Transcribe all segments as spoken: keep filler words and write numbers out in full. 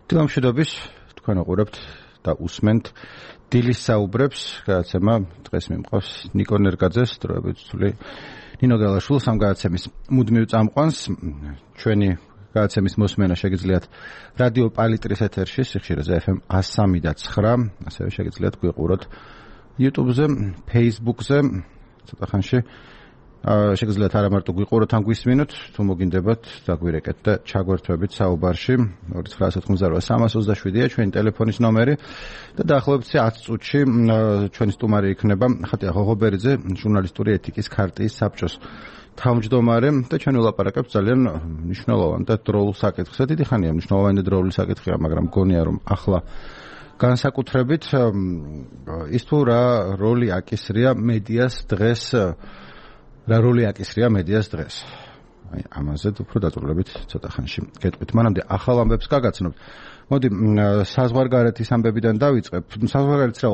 დილამშვიდობის, თქვენ უყურებთ და უსმენთ დილის საუბრებს, გადაცემა დღეს მიმყავს ნიკო ნერგაძეს, დროებით ცული ნინო გელაშვილს ამ გადაცემის მუდმივ წამყვანს. ჩვენი გადაცემის მოსმენა შეგიძლიათ რადიო პალიტრის ეთერში, სიხშირეზე ეფ ემ one oh three და nine, ასევე შეგიძლიათ გვიყუროთ YouTube-ზე, Facebook-ზე, ცოტა ხანში შეგიძლიათ არა მარტო გვიყუროთ ან გვისმინოთ, თუ მოგინდებათ დაგვირეკეთ და ჩაგვერთვებით საუბარში. ორი ცხრა ათი ოთხმოცდაოთხ სამას ოცდაშვიდია ჩვენი ტელეფონის ნომერი და დაახლოებით ათი წუთში ჩვენი სტუმარი იქნება ხატია ღოღობერიძე, ჟურნალისტური ეთიკის ქარტიის საბჭოს თავმჯდომარე და ჩვენ ვილაპარაკებთ ძალიან მნიშვნელოვან და დროულ საკითხზე. დიდი ხანია მნიშვნელოვანი და დროული საკითხია, მაგრამ მგონია რომ ახლა განსაკუთრებით ის თუ რა როლი აკისრია მედიას დღეს რა როლი აკისრია მედიას დღეს. აი ამაზე უფრო დაწვრილებით ცოტა ხანში გეტყვით. მანამდე ახალ ამბებს გაგაცნობთ. მოდი საზღვარგარეთის ამბებიდან დავიწყებ. საზღვარგარეთის რა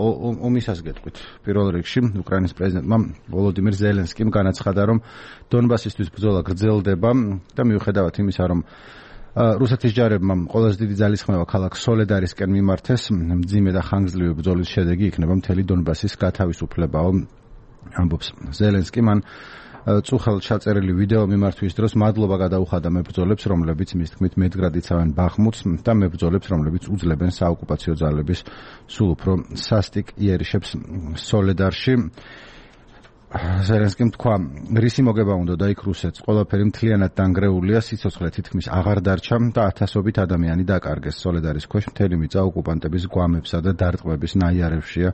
ომისას გეტყვით. პირველ რიგში უკრაინის პრეზიდენტმა ვოლოდიმირ ზელენსკიმ განაცხადა, რომ დონბასისთვის ბრძოლა გრძელდება და მიუხედავად იმისა, რომ რუსეთის ჯარებმა ყველაზე დიდი ძალისხმევა ქალაქ სოლედარისკენ მიმართეს, მძიმე და ხანგრძლივი ბრძოლის შედეგი იქნება მთელი დონბასის გათავისუფლებაო. ამბობს ზელენსკი. მან წუხელ ჩაწერილი ვიდეო მიმართვის დროს მადლობა გადაუხადა მებრძოლებს, რომლებიც მის თქმით მეტგრად იცავენ ბახმუტს და მებრძოლებს, რომლებიც უძლებენ საოკუპაციო ძალების სულ უფრო სასტიკ იერიშებს სოლედარში. ზელენსკიმ თქვა, რისი მოგება უნდა და იქ რუსეთს ყველაფერი მთლიანად დანგრეულია, სიცოცხლე თითქმის აღარ დარჩა და ათასობით ადამიანი დაკარგეს. სოლედარის ქვეშ მთელი მიწა ოკუპანტების გვამებსა და დარტყმების ნაიარევშია.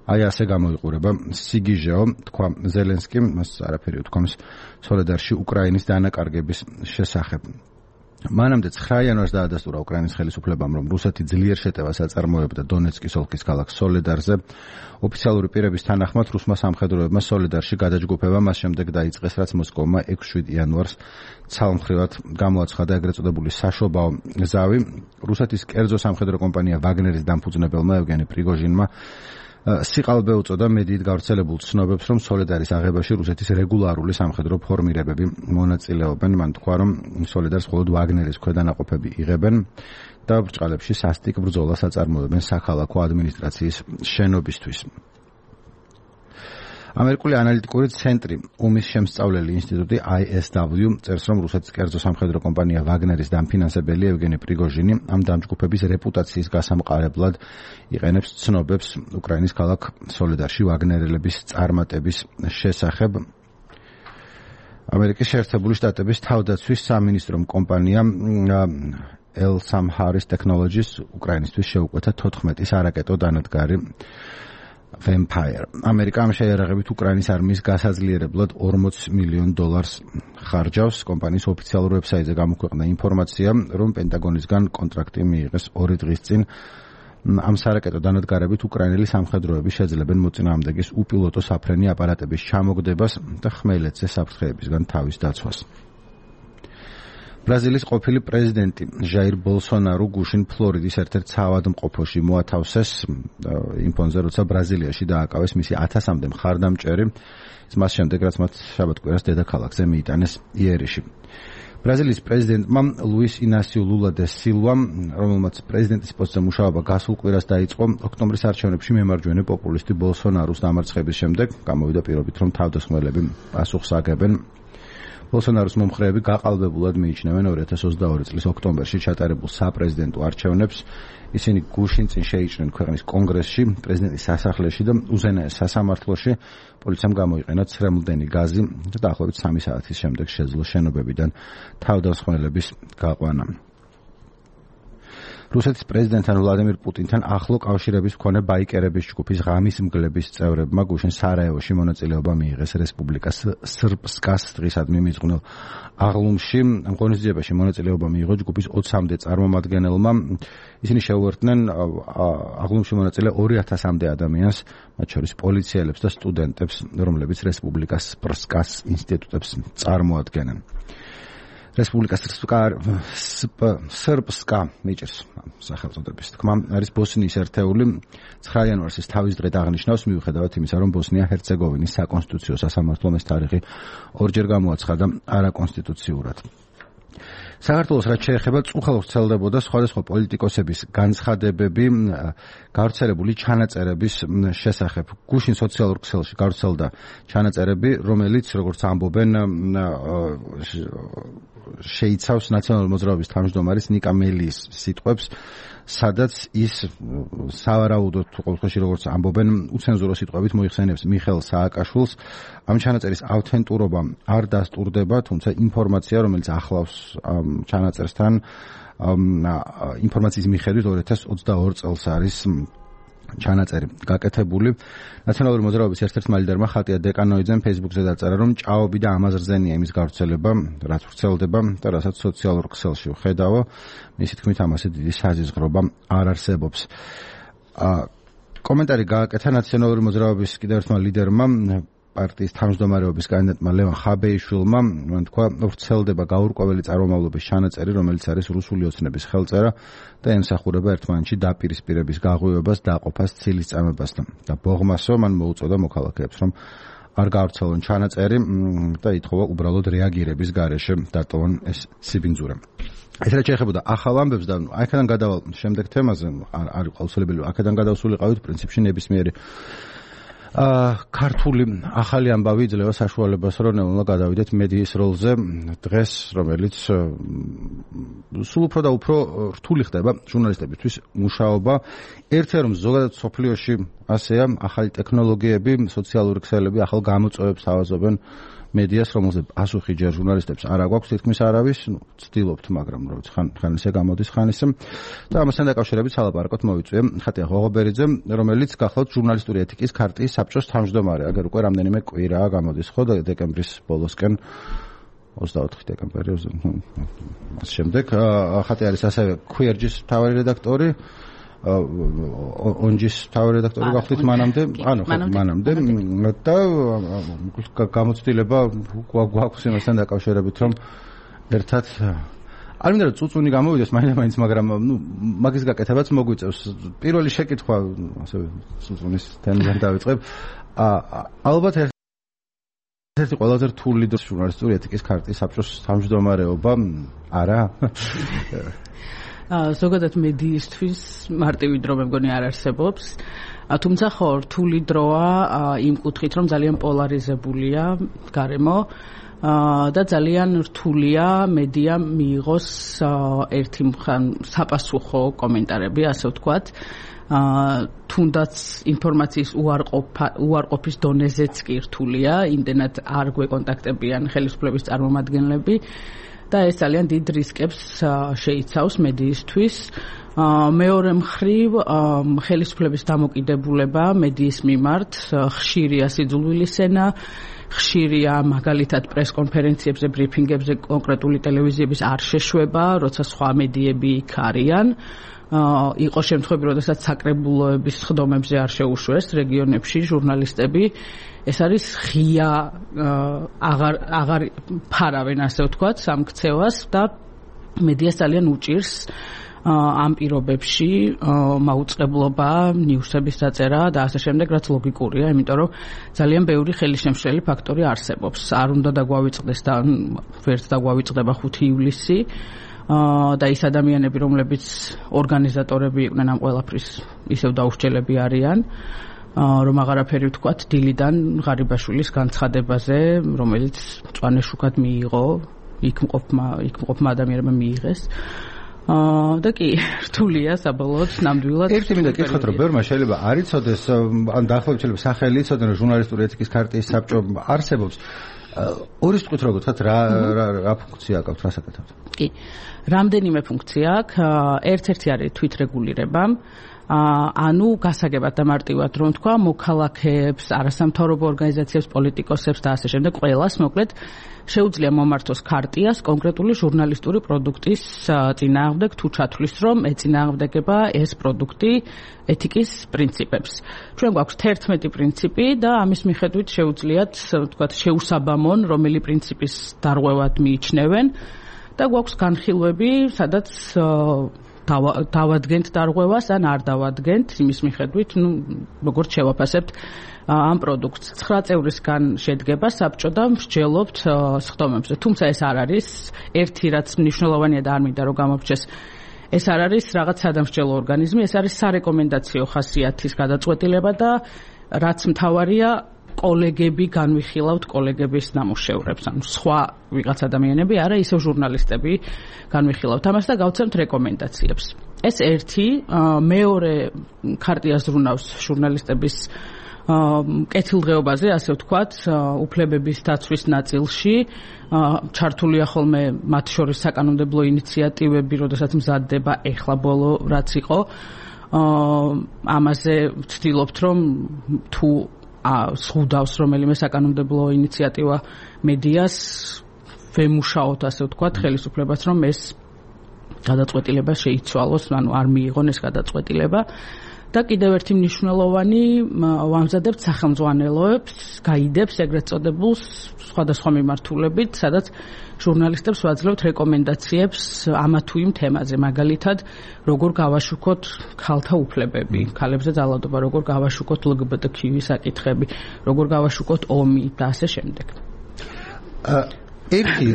აი ასე გამოიყურება სიგიჟეო, თქვა ზელენსკიმ, მას არაფერი უთქვამს სოლედარში უკრაინის დანაკარგების შესახებ. მანამდე ცხრა იანვარს დაადასტურა უკრაინის ხელისუფლებამ, რომ რუსეთი ძლიერ შეტევას აწარმოებდა დონეცკის ოლქის ქალაქ სოლედარზე. ოფიციალური პირების თანახმად რუსმა სამხედროებმა სოლედარში გადაჯგუფება მას შემდეგ დაიწყეს, რაც მოსკოვმა ექვსი იანვარს ცალმხრივად გამოაცხადა ეგრეთ წოდებული საშობაო ზავი. რუსეთის კერძო სამხედრო კომპანია ვაგნერის დამფუძნებელმა ევგენი პრიგოჟინმა სიყალბე უწოდა მედიით გავრცელებულ ცნობებს, რომ სოლედარის აღებაში რუსეთის რეგულარული სამხედრო ფორმირებები მონაწილეობენ. მან თქვა, რომ სოლედარს მხოლოდ ვაგნერის ქვედანაყოფები იღებენ და ბრჭყალებში სასტიკ ბრძოლას აწარმოებენ საქალაქო ადმინისტრაციის შენობისთვის. ამერიკული ანალიტიკური ცენტრი ომის შემსწავლელი ინსტიტუტი I S W წერს, რომ რუსეთის კერძო სამხედრო კომპანია ვაგნერის დამფინანსებელი ევგენი პრიგოჟინი ამ დამჯგუფების რეპუტაციის გასამყარებლად იყენებს ცნობებს უკრაინის ქალაქ სოლედარში ვაგნერელების წარმატების შესახებ. ამერიკის შეერთებული შტატების თავდაცვის სამინისტრომ კომპანია L-Samharis Technologies უკრაინისთვის შეუკვეთა თოთხმეტი სარაკეტო დანადგარი Vampire. ამერიკა ამ შეიარაღებით უკრაინის არმიის გასაძლიერებლად ორმოც მილიონ დოლარს ხარჯავს. კომპანიის ოფიციალურ ვებსაიტზე გამოქვეყნდა ინფორმაცია, რომ პენტაგონისგან კონტრაქტი მიიღეს ორი დღის წინ. ამ სარაკეტო დანადგარებით უკრაინელი სამხედროები შეძლებენ მოწინააღმდეგის უპილოტო საფრენი აპარატების ჩამოგდებას და ხმელეთზე საფრთხეებისგან თავის დაცვას. ბრაზილიის ყოფილი პრეზიდენტი ჟაირ ბოლსონარო გუშინ ფლორიდის ერთ-ერთ საავადმყოფოში მოათავსეს იმ ფონზე, როცა ბრაზილიაში დააკავეს მისი ათასამდე მხარდამჭერი, მას შემდეგ რაც მათ შაბათ-კვირას დედაქალაქზე მიიტანეს იერიში. ბრაზილიის პრეზიდენტმა ლუის ინასიუ ლულა დე სილვამ, რომელმაც პრეზიდენტის პოსტზე მუშაობა გასულ კვირას დაიწყო, ოქტომბრის არჩევნებში მემარჯვენე პოპულისტი ბოლსონაროს დამარცხების შემდეგ გამოვიდა პირობით, რომ თავდასხმელები პასუხს აგებენ. ბოლსონაროს მომხრეები გაყალბებულად მიიჩნევენ ორი ათას ოცდაორი წლის ოქტომბერში ჩატარებულ საპრეზიდენტო არჩევნებს. ისინი გუშინ წინ შეიჭრნენ ქვეყნის კონგრესში, პრეზიდენტის სასახლეში და უზენაეს სასამართლოში. პოლიციამ გამოიყენა ცრემლდენი გაზი და დაახლოებით სამი საათის შემდეგ შეძლო შენობებიდან თავდასხმელების გაყვანა. რუსეთის პრეზიდენტთან ვლადიმირ პუტინთან ახლო კავშირების მქონე ბაიკერების ჯგუფის ღამის მგლების წევრებმა გუშინ სარაევოში მონაწილეობა მიიღეს რესპუბლიკა სრპსკას დღისადმი მიძღვნილ აღლუმში. ამ ღონისძიებაში მონაწილეობა მიიღო ჯგუფის ოცამდე წარმომადგენელმა. ისინი შეუერთდნენ აღლუმში მონაწილე ორი ათასამდე ადამიანს, მათ შორის პოლიციელებს და სტუდენტებს, რომლებიც რესპუბლიკა სრპსკას ინსტიტუტებს წარმოადგენენ. რესპუბლიკა სრპსკა მიჭერს სახელწოდების თქმა არის ბოსნიის ერთეული. ცხრა იანვარს ის თავის დღედ აღნიშნავს, მიუხედავად იმისა, რომ ბოსნია-ჰერცეგოვინის საკონსტიტუციო სასამართლომ ეს თარიღი ორჯერ გამოაცხადა არაკონსტიტუციურად. საქართველოს რაც შეეხება წუხალს ვრცელდებოდა სხვადასხვა პოლიტიკოსების განცხადებები გავრცელებული ჩანაწერების შესახებ. გუშინ სოციალურ ქსელში გავრცელდა ჩანაწერები, რომელიც როგორც ამბობენ შეიცავს ნაციონალური მოძრაობის თავმჯდომარის ნიკა მელის სიტყვებს, სადაც ის სავარაუდოდ ყოველთვის როგორც ამბობენ უცენზურო სიტყვებით მოიხსენებს მიხეილ სააკაშვილს. ამ ჩანაწერის ავთენტურობა არ დასტურდება, თუმცა ინფორმაცია, რომელიც ახლავს ამ ჩანაწერსთან, ინფორმაციის მიხედვით ორი ათას ოცდაორი წელს არის ჩანაწერი გაკეთებული. ნაციონალური მოძრაობის ერთ-ერთმა ლიდერმა ხატია დეკანოიძემ Facebook-ზე დაწერა, რომ ჭაობი და ამაზრზენია იმის გავრცელება, რაც ვრცელდება და რასაც სოციალურ ქსელში ვხედავ. მისი თქმით, ამასე დიდი საზიზღრობა არ არსებობს. კომენტარი გააკეთა ნაციონალური მოძრაობის კიდევ ერთმა ლიდერმა, პარტიის თავმჯდომარეობის კანდიდატმა ლევან ხაბეიშვილმა, მან თქვა, ვრცელდება გაურკვეველი წარმომავლობის ჩანაწერი, რომელიც არის რუსული ოცნების ხელწერა და ემსახურება ერთმანეთში დაპირისპირების გაღვივებას, დაყოფას, ცილისწამებასთან. და ბოღმასო მან მოუწოდა მოქალაქეებს, რომ არ გავრცელონ ჩანაწერი და ითხოვა უბრალოდ რეაგირების გარეშე დატოვონ ეს სიბინძურე. ეს რაც შეეხებოდა ახალ ამბებს და აქედან გადავალ შემდეგ თემაზე, არის აუცილებელი აქედან გადავსულიყავით პრინციპში ნებისმიერი ქართული ახალი ამბავი იძლევა საშუალებას, რომ ნელა გადავიდეთ მედიის როლზე დღეს, რომელიც სულ უფრო და უფრო რთული ხდება ჟურნალისტებისთვის მუშაობა. ერთია, რომ ზოგადად სოფლიოში ასეა, ახალი ტექნოლოგიები, სოციალური ქსელები ახალ გამოწვევებს ავაზობენ მედიას, რომელზეც პასუხი ჯერ ჟურნალისტებს არ აგვაქვს თითქმის არავის, ნუ ცდილობთ, მაგრამ როგორც ხან ხან ისე გამოდის ხან ისე. და ამასთან დაკავშირებით სალაპარაკოთ მოვიწვია ხატია ღოღობერიძე, რომელიც გახლავთ ჟურნალისტური ეთიკის ქარტიის საბჭოს თავმჯდომარე. აგერ უკვე რამდენიმე კვირაა გამოდის ხო და დეკემბრის ბოლოსკენ ოცდაოთხი დეკემბერი მას შემდეგ ხატი არის ასევე ქუერჯის მთავარი რედაქტორი, ონჯის მთავარი რედაქტორი გახლით მანამდე, ანუ ხო მანამდე და გამოცდილება გვაქვს იმასთან დაკავშირებით, რომ ერთად არ მინდა რომ წუწუნი გამოვიდეს მაინც, მაგრამ ნუ მაგის გაკეთებაც მოგვიწევს. პირველი შეკითხვა ასევე წუწუნის თემიდან დავიწყებ. ალბათ ერთ-ერთი ყველაზე რთული დრო ჟურნალისტური ეთიკის ქარტიის საბჭოს თავმჯდომარეობა არა? ზოგადად მედიისთვის მარტივი დრო მე მგონი არ არსებობს. თუმცა ხო რთული დროა იმ კუთხით, რომ ძალიან პოლარიზებულია გარემო და ძალიან რთულია მედია მიიღოს ერთი მხან საპასუხო კომენტარები, ასე ვთქვათ. თუნდაც ინფორმაციის უარყოფის დონეზეც კი რთულია, იმდენად არ გვეკონტაქტებიან ხელისუფლების წარმომადგენლები. და ეს ძალიან დიდ რისკებს შეიცავს მედიისთვის. მეორე მხრივ ხელისუფლების დამოკიდებულება მედიის მიმართ ხშირია სიძულვილის ენა, ხშირია მაგალითად პრესკონფერენციებზე, ბრიფინგებზე კონკრეტული ტელევიზიების არ შეშვება, როცა სხვა მედიები იქ არიან. იყო შემთხვევები, როდესაც საკრებულოების სხდომებზე არ შეუშვეს რეგიონებში ჟურნალისტები. ეს არის ღია აღარ აღარ ფარავენ, ასე ვთქვათ, სამქცევას და მედიას ძალიან უჭირს ამ პირობებში მაუწყებლობა, ნიუსების დაწერა და ასე შემდეგ, რაც ლოგიკურია, იმიტომ რომ ძალიან ბევრი ხელისშემშლელი ფაქტორი არსებობს. არ უნდა დაგვავიწყდეს და ვერც დაგვავიწყდება ხუთი ივლისი. და ის ადამიანები, რომლებიც ორგანიზატორები იყვნენ ამ ყველაფრის, ისევ დაუსჯელები არიან, რომ აღარაფერი ვთქვათ დილიდან ღარიბაშვილის განცხადებაზე, რომელიც მწვანე შუქად მიიღო, იქ მყოფმა იქ მყოფმა ადამიანებმა მიიღეს. და კი რთულია საბოლოოდ ნამდვილად. ერთი მინდა კითხოთ, რომ ბევრმა შეიძლება არ იცოდეს, ან დაახლოებით შეიძლება სახელი იცოდნენ, რომ ჟურნალისტური ეთიკის ქარტიის საბჭო არსებობს. ორი სიტყვით რო გითხრათ, რა რა ფუნქცია აქვს, რას აკეთებთ? კი. რამდენიმე ფუნქცია აქვს. ერთ-ერთი არის თვითრეგულირება. ანუ გასაგებად და მარტივად რომ თქვა, მოქალაქეებს, არასამთავრობო ორგანიზაციებს, პოლიტიკოსებს და ასე შემდეგ ყველას, მოკლედ შეუძლია მომართოს ქარტიას კონკრეტული ჟურნალისტური პროდუქტის წინააღმდეგ, თუ ჩათვლის, რომ ეწინააღმდეგება ეს პროდუქტი ეთიკის პრინციპებს. ჩვენ გვაქვს თერთმეტი პრინციპი და ამის მიხედვით შეუძლიათ, ვთქვათ, შეუსაბამონ, რომელი პრინციპის დარღვევად მიიჩნევენ და გვაქვს განხილვები, სადაც დავადგენთ დარღვევას ან არ დავადგენთ იმის მიხედვით, ну, როგორც შევაფასებთ ამ პროდუქტს. ცხრა წევრისგან შედგება საბჭო და მსჯელობთ სხდომებზე. თუმცა ეს არ არის ერთი, რაც მნიშვნელოვანია და არ მინდა რომ გამოვჩეს. ეს არ არის რაღაც სადამსჯელო ორგანიზმი, ეს არის სარეკომენდაციო ხასიათის გადაწყვეტილება და რაც მთავარია კოლეგები განვიხილავთ კოლეგების ნამუშევრებს, ანუ სხვა ვიღაც ადამიანები, არა ისევ ჟურნალისტები განვიხილავთ ამას და გავცემთ რეკომენდაციებს. ეს ერთი, მეორე ქარტია ზრუნავს ჟურნალისტების კეთილდღეობაზე, ასე ვთქვათ, უფლებების დაცვის ნაწილში, ჩართულია ხოლმე მათ შორის საკანონმდებლო ინიციატივები, როდესაც მზადდება ეხლა ბოლო რაც იყო. ამაზე ვცდილობთ, რომ თუ სხუდავს რომელიმე საკანონმდებლო ინიციატივა მედიას, ვემუშაოთ, ასე ვთქვათ, ხელისუფლებას, რომ ეს გადაწყვეტილება შეიცვალოს, ანუ არ მიიღონ ეს გადაწყვეტილება. და კიდევ ერთი მნიშვნელოვანი ვამზადებთ სახელმძღვანელოებს, გაიდებს ეგრეთ წოდებულს სხვადასხვა მიმართულებით, სადაც ჟურნალისტებს ვაძლევთ რეკომენდაციებს ამა თუ იმ თემაზე, მაგალითად, როგორ გავაშუქოთ ქალთა უფლებები, ქალებზე ძალადობა, როგორ გავაშუქოთ ელ გი ბი ტი კიუ საკითხები, როგორ გავაშუქოთ ომი და ასე შემდეგ. ერთი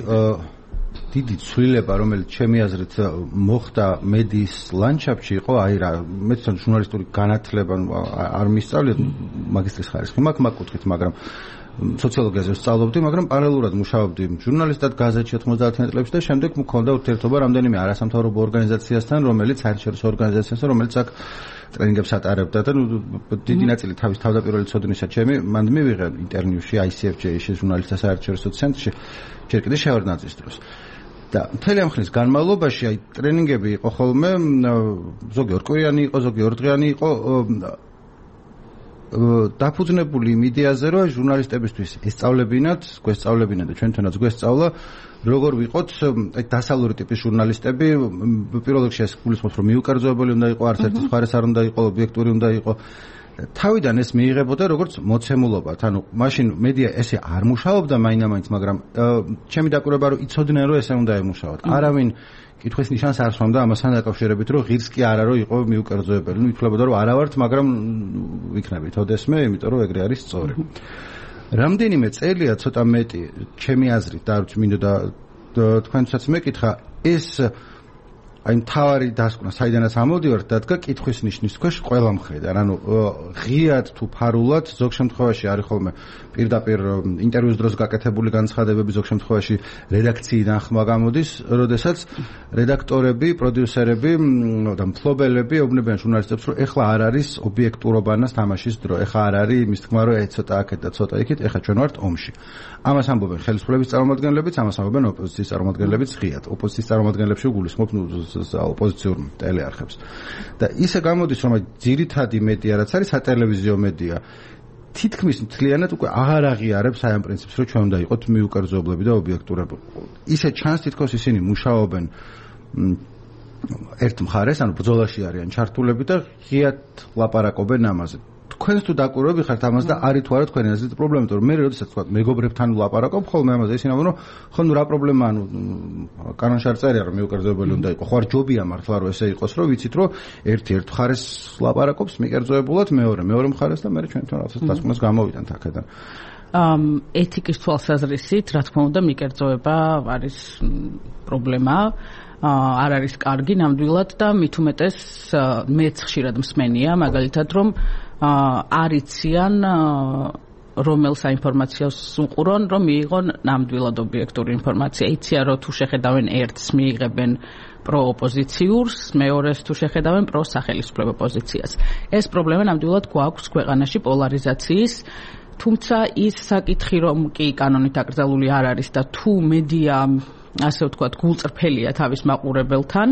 დიდი ცვლილება, რომელიც ჩემი აზრით მოხდა მედიის ლანდშაფტში, იყო აი რა, მე თვითონ ჟურნალისტური განათლება არ მისწავლეთ, მაგისტრის ხარისხი მაქვს მაგ კუთხით, მაგრამ სოციოლოგიაზე ვსწავლობდი, მაგრამ პარალელურად მუშაობდი ჟურნალისტად გაზეთში ოცდაათიან წლებში და შემდეგ მქონდა ურთიერთობა რამდენიმე არასამთავრობო ორგანიზაციასთან, რომელიც საერთაშორისო ორგანიზაციასთან, რომელიც აქ ტრენინგებს ატარებდა და დიდი ნაწილი თავის თავდაპირველი ცოდნისა ჩემი მანდ მივიღე ინტერნიუში აი სი ეფ ჯეი-ში ჟურნალისტთა საერთაშორისო ცენტრში, ჯერ კიდევ შევარდნაძის დროს. და მთელი ამ ხნის განმავლობაში აი ტრენინგები იყო ხოლმე, ზოგი ორკვირიანი იყო, ზოგი ორდღიანი იყო, დაფუძნებული იმ იდეაზე, რომ ჟურნალისტებისთვის ესწავლებინათ, გვესწავლებინათ და ჩვენთანაც გვესწავლა, როგორ ვიყოთ აი დასავლური ტიპის ჟურნალისტები, პირველ რიგში ეს გულისხმობს, რომ მიუკერძოებელი უნდა იყოს, არც ერთი სხვაერეს არ უნდა იყოს, ობიექტური უნდა იყოს. თავიდან ეს მიიღებოდა როგორც მოცემულობათ, ანუ მაშინ მედია ესე არ მუშაობდა მაინამაინც, მაგრამ ჩემი დაკვირვება რომ იცოდნენ რომ ესე უნდა ემუშაოთ. არავინ კითხვის ნიშანს არ სვამდა ამასთან დაკავშირებით, რომ ღირს კი არა რომ იყო მიუკერძოებელი. ნუ ითვლებოდა რომ არა ვართ, მაგრამ ვიქნებით ოდესმე, იმიტომ რომ ეგრე არის სწორი. რამდენიმე წელია ცოტა მეტი ჩემი აზრით და არ ვიცი მინდოდა თქვენთვისაც მეკითხა, ეს აი მთავარი დასკვნა საიდანაც ამოდივართ დადგა კითხვის ნიშნის ქვეშ ყველა მხრიდან, ანუ ღიად თუ ფარულად, ზოგ შემთხვევაში არის ხოლმე პირდაპირ ინტერვიუს დროს გაკეთებული განცხადებები, ზოგ შემთხვევაში რედაქციიდან ხმა გამოდის, როდესაც რედაქტორები, პროდიუსერები და მფლობელები ეუბნებიან ჟურნალისტებს, რომ ეხლა არ არის ობიექტურობანას თამაშის დრო, ეხლა არ არის იმის თქმა, რომ ცოტა აქეთ და ცოტა იქით, ეხლა ჩვენ ვართ ომში. ამას ამბობენ ხელისუფლების წარმომადგენლებიც, ამას ამბობენ ოპოზიციის წარმომადგენლებიც ღიად. ოპოზიციის წარმომადგენლებში გულისხმობ ოპოზიციურ ტელეარხებს. და ისე გამოდის, რომ ძირითადი მედია, რაც არის სატელევიზიო მედია, თითქმის მთლიანად უკვე აღარ აღიარებს აი ამ პრინციპს, რომ ჩვენ უნდა იყოთ მიუკერძოებლები და ობიექტურები. ისე ჩანს თითქოს ისინი მუშაობენ ერთ მხარეს, ანუ ბრძოლაში არიან ჩართულები და ღიად ლაპარაკობენ ამაზე. თქვენს თუ დაკვირვები ხართ ამას და არის თუ არა თქვენი აზრით პრობლემა, იმიტომ რომ მე როდესაც თქვა მეგობრებთან ვლაპარაკობ ხოლმე ამაზე, ისინი ამბობენ, რომ ხო ნუ რა პრობლემა, ანუ კანონში არ წერია რომ მიუკერძოებელი უნდა იყოს, ხო არ ჯობია მართლა რომ ესე იყოს, რომ ვიცით რომ ერთი ერთ მხარეს ლაპარაკობს მიკერძოებულად, მეორე მეორე მხარეს და მე ჩვენ თვითონ რაღაცას დასკვნას გამოვიდანთ აქედან. ამ ეთიკის თვალსაზრისით, რა თქმა უნდა, მიკერძოება არის პრობლემა. არ არის კარგი ნამდვილად და მით უმეტეს მეც ხშირად მსმენია, მაგალითად რომ არიციან რომელ საინფორმაციოს უყურონ, რომ მიიღონ ნამდვილად ობიექტური ინფორმაცია. იციან რომ თუ შეხედავენ ერთს მიიღებენ პროოპოზიციურს, მეორეს თუ შეხედავენ პროსახელისუფლებო პოზიციას. ეს პრობლემა ნამდვილად გვაქვს ქვეყანაში პოლარიზაციის, თუმცა ის საკითხი რომ კი კანონით აკრძალული არ არის და თუ მედია ასე ვთქვათ გულწრფელია თავის მაყურებელთან,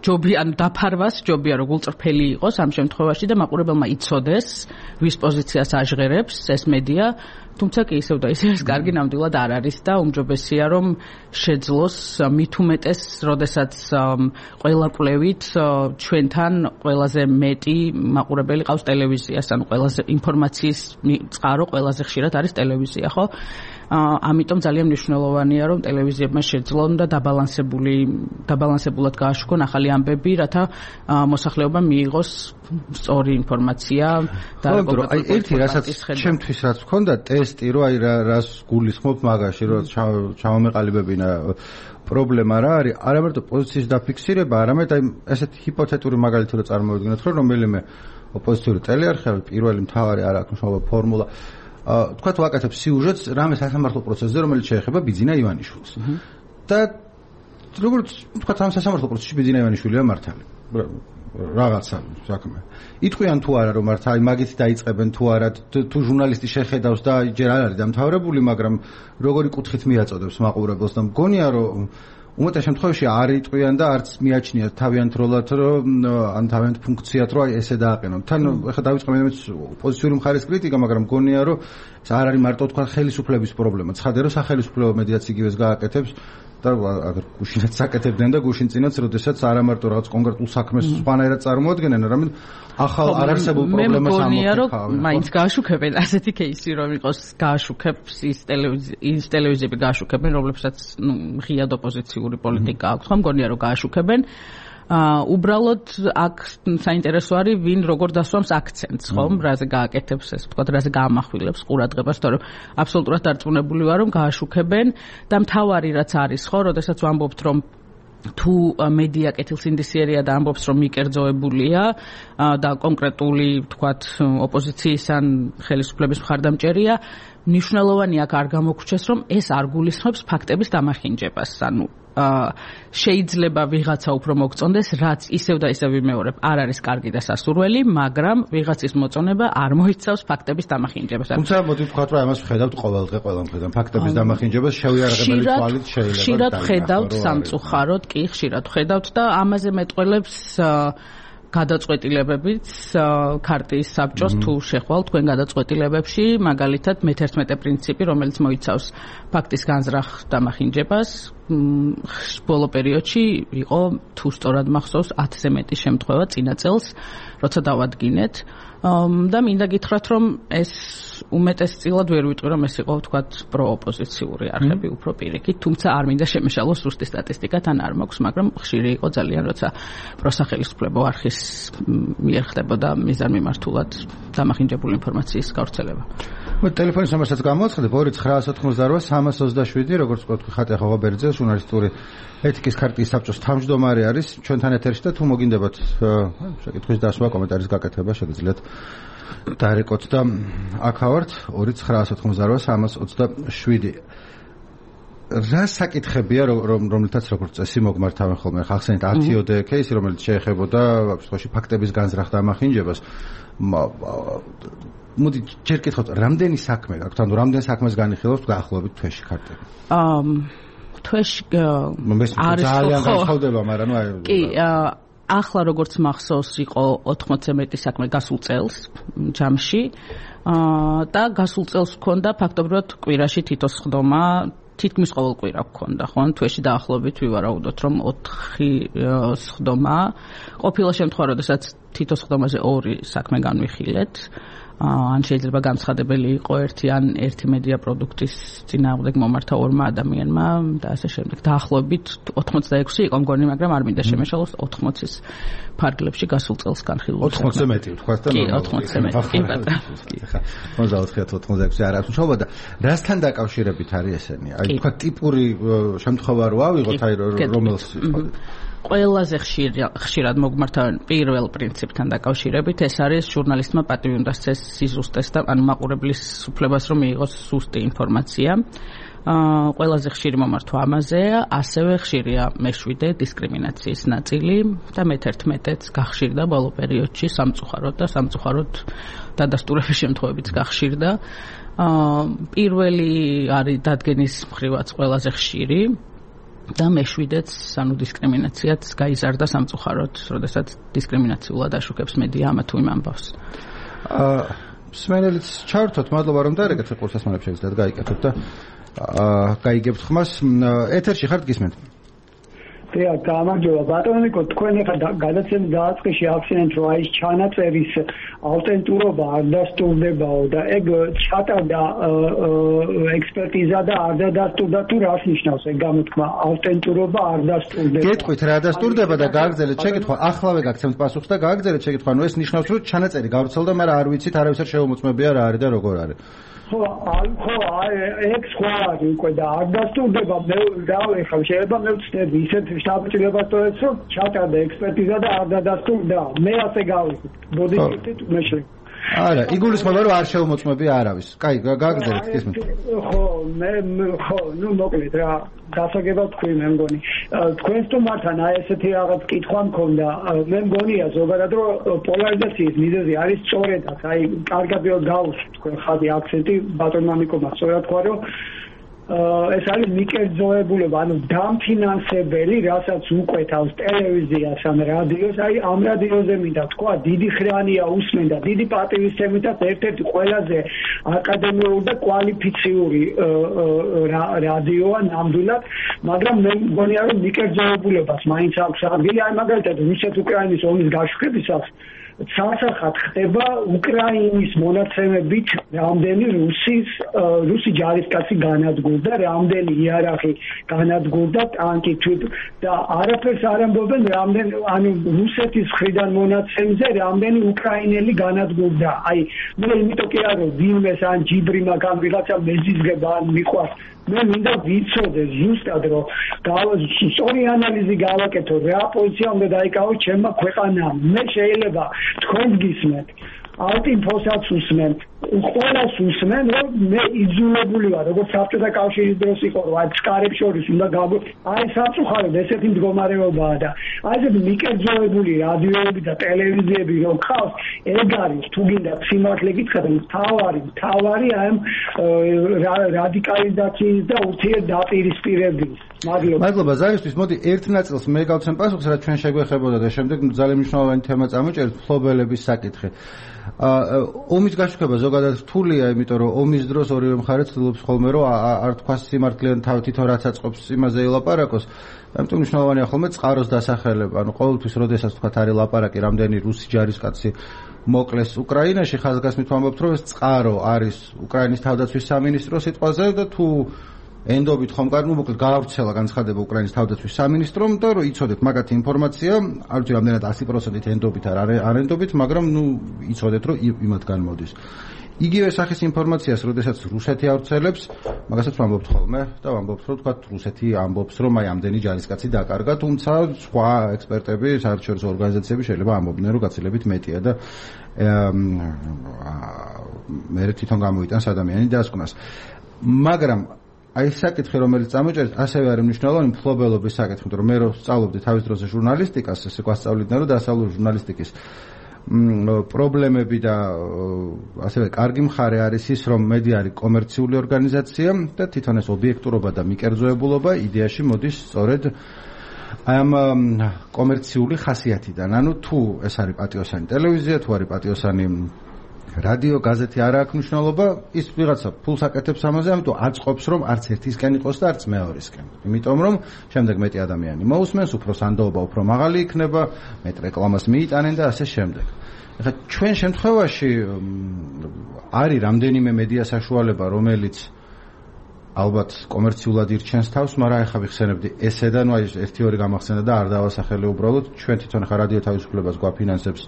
ჯობია ან დაფარვას ჯობია რომ გულწრფელი იყოს ამ შემთხვევაში და მაყურებელმა იცოდეს ვის პოზიციას აჟღერებს ეს მედია თუმცა კი ისევ და ისევ ეს კარგი ნამდვილად არ არის და უმჯობესია რომ შეძლოს მით უმეტეს როდესაც ყველა კვლევით ჩვენთან ყველაზე მეტი მაყურებელი ყავს ტელევიზიას ანუ ყველაზე ინფორმაციის წყარო ყველაზე ხშირად არის ტელევიზია ხო ამიტომ ძალიან მნიშვნელოვანია რომ ტელევიზიებმა შეძლონ და დაბალანსებული დაბალანსებულად გააშუქონ ახალი ამბები რათა მოსახლეობამ მიიღოს სწორი ინფორმაცია და აი ერთი რასაც ჩემთვის რაც მქონდა ტესტი რომ აი რას გულისხმობ მაგაში რომ ჩავამეყალიბებინა პრობლემა რა არის არა მარტო პოზიციის დაფიქსირება არამედ აი ესეთი ჰიპოთეტური მაგალითი რომ წარმოვიდგინოთ რომ რომელიმე ოპოზიციური ტელეარხი პირველი მთავარი არ აქვს მშობლო ფორმულა თქვათ ვაკეთებ სიუჟეტს რამე სასამართლო პროცესზე რომელიც შეეხება ბიძინა ივანიშვილს და როგორც თქვათ ამ სასამართლო პროცესში ბიძინა ივანიშვილია მართალი რაღაცა საქმე იტყვიან თუ არა რომ მართ აი მაგით დაიწყებენ თუ არა თუ ჟურნალისტი შეხედავს და ჯერ არ არის დამთავრებული მაგრამ როგორი კუთხით მიაწოდებს მაყურებელს და მგონია რომ უმეტეს შემთხვევაში არ იტყვიან და არც მიაჩნიათ თავიანთ როლად რომ ან თავიანთ ფუნქციად რომ აი ესე დააყენონ თან ეხლა დავიწყე მე პოზიციური მხარის კრიტიკა მაგრამ მგონია რომ ეს არ არის მარტო თქვა ხელისუფლების პრობლემა ცხადია რომ სახელმწიფო მედიაც იგივეს გააკეთებს და აგერ გუშინაც აკეთებდნენ და გუშინ წინაც როდესაც არა მარტო რაღაც კონკრეტულ საქმეს სხვანაირად წარმოადგენენ არამედ ახალ არარსებულ პრობლემას ამოხსნა მაინც გააშუქებენ ასეთი кейსი რომ იყოს გააშუქებს ის ტელევიზიის ტელევიზიები გააშუქებენ რომლებსაც ნუ ღიად ოპოზიციური პოლიტიკა აქვს ხომ მგონია რომ გააშუქებენ უბრალოდ აქ საინტერესო არის ვინ როგორ დასვამს აქცენტს ხომ რაზე გააკეთებს ეს თქვა რაზე გაამახვილებს ყურადღებას თორემ აბსოლუტურად დარწმუნებული ვარ რომ გააშუქებენ და მთავარი რაც არის ხო როდესაც ვამბობთ რომ თუ მედია კეთილსინდისიერია და ამბობს რომ მიკერძოებულია და კონკრეტული თქვათ ოპოზიციის ან ხელისუფლების მხარდამჭერია მნიშვნელოვანია აქ არ გამოგვჩეს რომ ეს არ გულისხმობს ფაქტების დამახინჯებას ანუ შეიძლება ვიღაცა უფრო მოგწონდეს რაც ისევ და ისევ ვიმეორებ არ არის კარგი და სასურველი მაგრამ ვიღაცის მოწონება არ მოიცავს ფაქტების დამახინჯებას თუმცა მოდი ვთქვათ რომ ამას ვხედავთ ყოველდღე ყველა მხრიდან ფაქტების დამახინჯებას შევიარაღებელი თვალით შეიძლება ხშირად ვხედავთ სამწუხაროდ კი ხშირად ვხედავთ და ამაზე მეტყველებს გადაწყვეტილებებიც ქარტიის საბჭოს თუ შეხვალ თქვენ გადაწყვეტილებებში მაგალითად მეთერთმეტე პრინციპი რომელიც მოიცავს ფაქტის განზრახ დამახინჯებას ბოლო პერიოდში იყო თუ სწორად მახსოვს ათზე მეტი შემთხვევა წინა წელს როცა დავადგინეთ და მინდა გითხრათ რომ ეს უმეტესწილად ვერ ვიტყვი რომ ეს იყო თქვათ პროოპოზიციური არხები უფრო პირიქით თუმცა არ მინდა შემეშალოს ზუსტი სტატისტიკა თან არ მაქვს მაგრამ ხშირი იყო ძალიან როცა პროსახელისუფლებო არხის მიერ ხდებოდა მიზანმიმართულად დამახინჯებული ინფორმაციის გავრცელება ტელეფონის ნომერსაც გამოვაცხადებ ორი ცხრაას ოთხმოცდაორვა სამას ოცდაშვიდი როგორც ვთქვი ხატია ხოღაბერძე ჟურნალისტური ეთიკის ქარტიის საბჭოს თავმჯდომარე არის ჩვენთან ეთერში და თუ მოგინდებათ შეკითხვის დასვა კომენტარის გაკეთება შეგიძლიათ დაერეკოთ და აქავართ ორი ცხრაას ოთხმოცდაორვა სამას ოცდაშვიდი რა საკითხებია რომ რომლითაც როგორც წესი მოგმართავენ ხოლმე ხახსენით ათიოდე кейსი რომელიც შეეხებოდა ვაფშე ფაქტების განზრახ დამახინჯებას მოდი ჯერ კითხოთ რამდენი საქმე გაქვთ ანუ რამდენ საქმეს განიხილავთ დაახლოებით თვეში ქარტები აა თვეში არის ძალიან განსხვავდება მაგრამ ნუ აი კი ახლა როგორც მახსოვს იყო ოთხმოცზე მეტი საქმე გასულ წელს ჯამში და გასულ წელს ჰქონდა ფაქტობრივად კვირაში თითო სხდომა თითქმის ყოველ კვირა გქონდა ხო თვეში დაახლოებით ვივარაუდოთ რომ ოთხი სხდომა ყოფილა შემთხვევა როდესაც თითო სხდომაზე ორი საქმე განვიხილეთ ან შეიძლება განცხადებელი იყო ერთი ან ერთი მედია პროდუქტის წინააღმდეგ მომართა ორმა ადამიანმა და ასე შემდეგ. დაახლოებით ოთხმოცდაექვსი იყო მგონი, მაგრამ არ მინდა შემეშალოს ოთხმოცის ფარგლებში გასულ წელს განხილული. ოთხმოცზე მეტი ვთქვათ და კი, ოთხმოცზე მეტი. კი, ბატონო. ხა, ოცდაოთხი ოცდაექვსი არ აქვს მშობოდა. რასთან დაკავშირებით არის ესენი? აი თქვა ტიპური შემთხვევა რო ავიღოთ, აი რომელს ყველაზე ხშირად მოგმართავენ პირველ პრინციპთან დაკავშირებით ეს არის ჟურნალისტმა პატივი უნდა სცეს სიზუსტეს და ანუ მაყურებლის უფლებას რომ მიიღოს ზუსტი ინფორმაცია. აა ყველაზე ხშირი მომართვა ამაზეა, ასევე ხშირია მეშვიდე დისკრიმინაციის ნაწილი და მეთერთმეტეც გახშირდა ბოლო პერიოდში სამწუხაროდ და სამწუხაროდ დადასტურების შემთხვევებიც გახშირდა. აა პირველი არის დადგენის მხრივაც ყველაზე ხშირი და მეშვიდეც, ანუ დისკრიმინაციაც გაიზარდა სამწუხაროდ, როდესაც დისკრიმინაციულად აშუქებს მედია ამა თუ იმ ამბავს. აა სმენელიც ჩართოთ, მადლობა რომ დაერეკეთ ყურს ასმანებს შეგიძლიათ გაიკეთოთ და აა გაიგებთ ხმას. ეთერში ხართ გისმენთ? დიახ, გამარჯობა ბატონიკო, თქვენ ახლა გადაცემის დაწყისში ახსენეთ, რომ აი ჩანაწერის ავტენტურობა არ დასტურდებაო და ეგ ჩატარდა ექსპერტიზა და არ დადასტურდა, თუ რას ნიშნავს ეგ გამოთქმა ავტენტურობა არ დასტურდება? გეტყვით რა დასტურდება და გააგრძელეთ შეკითხვა, ახლავე გაგცემთ პასუხს და გააგრძელეთ შეკითხვა, ნუ ეს ნიშნავს, რომ ჩანაწერი გავრცელდა, მაგრამ არ ვიცით, არავის არ შეუმოწმებია რა არის და როგორ არის. ხო, ხო, ეგ სხვა არის უკვე და არ დასტურდება, მე რავი, ხა შეიძლება მე ვცდები ისეთ შტაბ-ჭრილებას ტოვებს, რომ ჩატარდა ექსპერტიზა და არ დადასტურდა. მე ასე გავიქით. ბოდიშით მეშლი. არა, იგულისხმება რომ არ შეუმოწმებია არავის. კაი, გააგრძელეთ გისმენთ. ხო, მე ხო, ნუ მოკლედ რა, გასაგებად თქვი მე მგონი. თქვენ სტუმართან აი ესეთი რაღაც კითხვა მქონდა. მე მგონია ზოგადად რომ პოლარიზაციის მიზეზი არის სწორედაც, აი კარგად გავუსვით თქვენ ხადი აქცენტი ბატონმა ნიკომა სწორად თქვა რომ ეს არის მიკერძოებულება, ანუ დამფინანსებელი, რასაც უკვეთავს ტელევიზიას ან რადიოს, აი ამ რადიოზე მინდა თქვა, დიდი ხრანია უსმენდა, დიდი პატივისცემითაც ერთ-ერთი ყველაზე აკადემიური და კვალიფიციური რადიოა ნამდვილად, მაგრამ მე მგონია რომ მიკერძოებულებას მაინც აქვს ადგილი, აი მაგალითად რუსეთ-უკრაინის ომის გაშუქებისას სასახად ხდება უკრაინის მონაცემებით რამდენი რუსის რუსი ჯარისკაცი განადგურდა, რამდენი იარაღი განადგურდა, ტანკი თვით და არაფერს არ ამბობენ რამდენი, ანუ რუსეთის მხრიდან მონაცემზე რამდენი უკრაინელი განადგურდა. აი მე იმიტომ კი არ რომ ვინმეს ან ჯიბრი მაგამ ვიღაცა მეზიზღება ან მიყვარს, მე მინდა ვიცოდე ზუსტად რომ სწორი ანალიზი გავაკეთო, რა პოზიცია უნდა დაიკავოს ჩემმა ქვეყანამ. მე შეიძლება თქვენ გისმენთ, ალტინფოსაც უსმენთ, ყველას უსმენ, რომ მე იძულებული ვარ, როგორც საბჭოთა კავშირის დროს იყო, რომ აი ფსკარებს შორის უნდა გავ აი სამწუხაროდ ესეთი მდგომარეობაა და აი ესეთი მიკერძოებული რადიოები და ტელევიზიები რომ ხავს, ეგ არის თუ გინდა სიმართლე გითხრათ, მთავარი, მთავარი ამ რადიკალიზაციის და ურთიერთდაპირისპირების. მადლობა ზარისთვის. მოდი ერთ ნაწილს მე გავცემ პასუხს, რაც ჩვენ შეგვეხებოდა და შემდეგ ძალიან მნიშვნელოვანი თემა წამოჭერეთ, ფლობელების საკითხი. ომის გაშუქება ზოგადად რთულია, იმიტომ რომ ომის დროს ორივე მხარე ცდილობს ხოლმე რომ არ თქვას სიმართლიან თვითონ რაც აწყობს იმაზე ელაპარაკოს. ამიტომ მნიშვნელოვანია ხოლმე წყაროს დასახელება. ანუ ყოველთვის როდესაც თქვა არის ლაპარაკი, რამდენი რუსი ჯარისკაცი მოკლეს უკრაინაში, ხაზგასმით ვამბობთ, რომ ეს წყარო არის უკრაინის თავდაცვის სამინისტროს სიტყვაზე და თუ ენდობით ხომ კარ, ну მოკლედ გაავრცელა განცხადება უკრაინის თავდაცვის სამინისტრომ და რომ იცოდეთ მაგათი ინფორმაცია, არ ვიცი რამდენად ათი პროცენტით ენდობით არ არენდობით, მაგრამ ну იცოდეთ რომ იმათგან მოდის. იგივე სახის ინფორმაციას, როდესაც რუსეთი ავრცელებს, მაგასაც ვამბობთ ხოლმე და ვამბობთ რომ თქვა რუსეთი ამბობს რომ აი ამდენი ჯარისკაცი დაკარგა, თუმცა სხვა ექსპერტები, საერთაშორისო ორგანიზაციები შეიძლება ამბობდნენ რომ გაცილებით მეტია და მე თვითონ გამოიტანს ადამიანი დასკვნას. მაგრამ აი საკითხი რომელიც წამოჭერეთ, ასევე არის მნიშვნელოვანი მფლობელობის საკითხი, რომ მე რო სწავლობდი თავის დროზე ჟურნალისტიკას, ესე გვასწავლიდნენ რომ დასავლური ჟურნალისტიკის პრობლემები და ასევე კარგი მხარე არის ის, რომ მედია არის კომერციული ორგანიზაცია და თვითონ ეს ობიექტურობა და მიკერძოებულობა იდეაში მოდის სწორედ ამ კომერციული ხასიათიდან. ანუ თუ ეს არის პატიოსანი ტელევიზია, თუ არის პატიოსანი რადიო, გაზეთი არ აქვს მნიშვნელობა, ის ვიღაცა ფულს აკეთებს ამაზე, ამიტომ აწყობს რომ არც ერთისკენ იყოს და არც მეორისკენ. იმიტომ რომ შემდეგ მეტი ადამიანი მოусმენს, უფრო სანდოობა უფრო მაღალი იქნება, მეტ რეკლამას მიიტანენ და ასე შემდეგ. ეხლა ჩვენ შემთხვევაში არის რამდენიმე მედია საშუალება, რომელიც ალბათ კომერციულად ირჩენს თავს, მაგრამ ეხლა ვიხსენებდი ესე და ნუ აი ერთი ორი გამახსენდა და არ დავასახელე უბრალოდ, ჩვენ თვითონ ხა რადიო თავისუფლებას გვაფინანსებს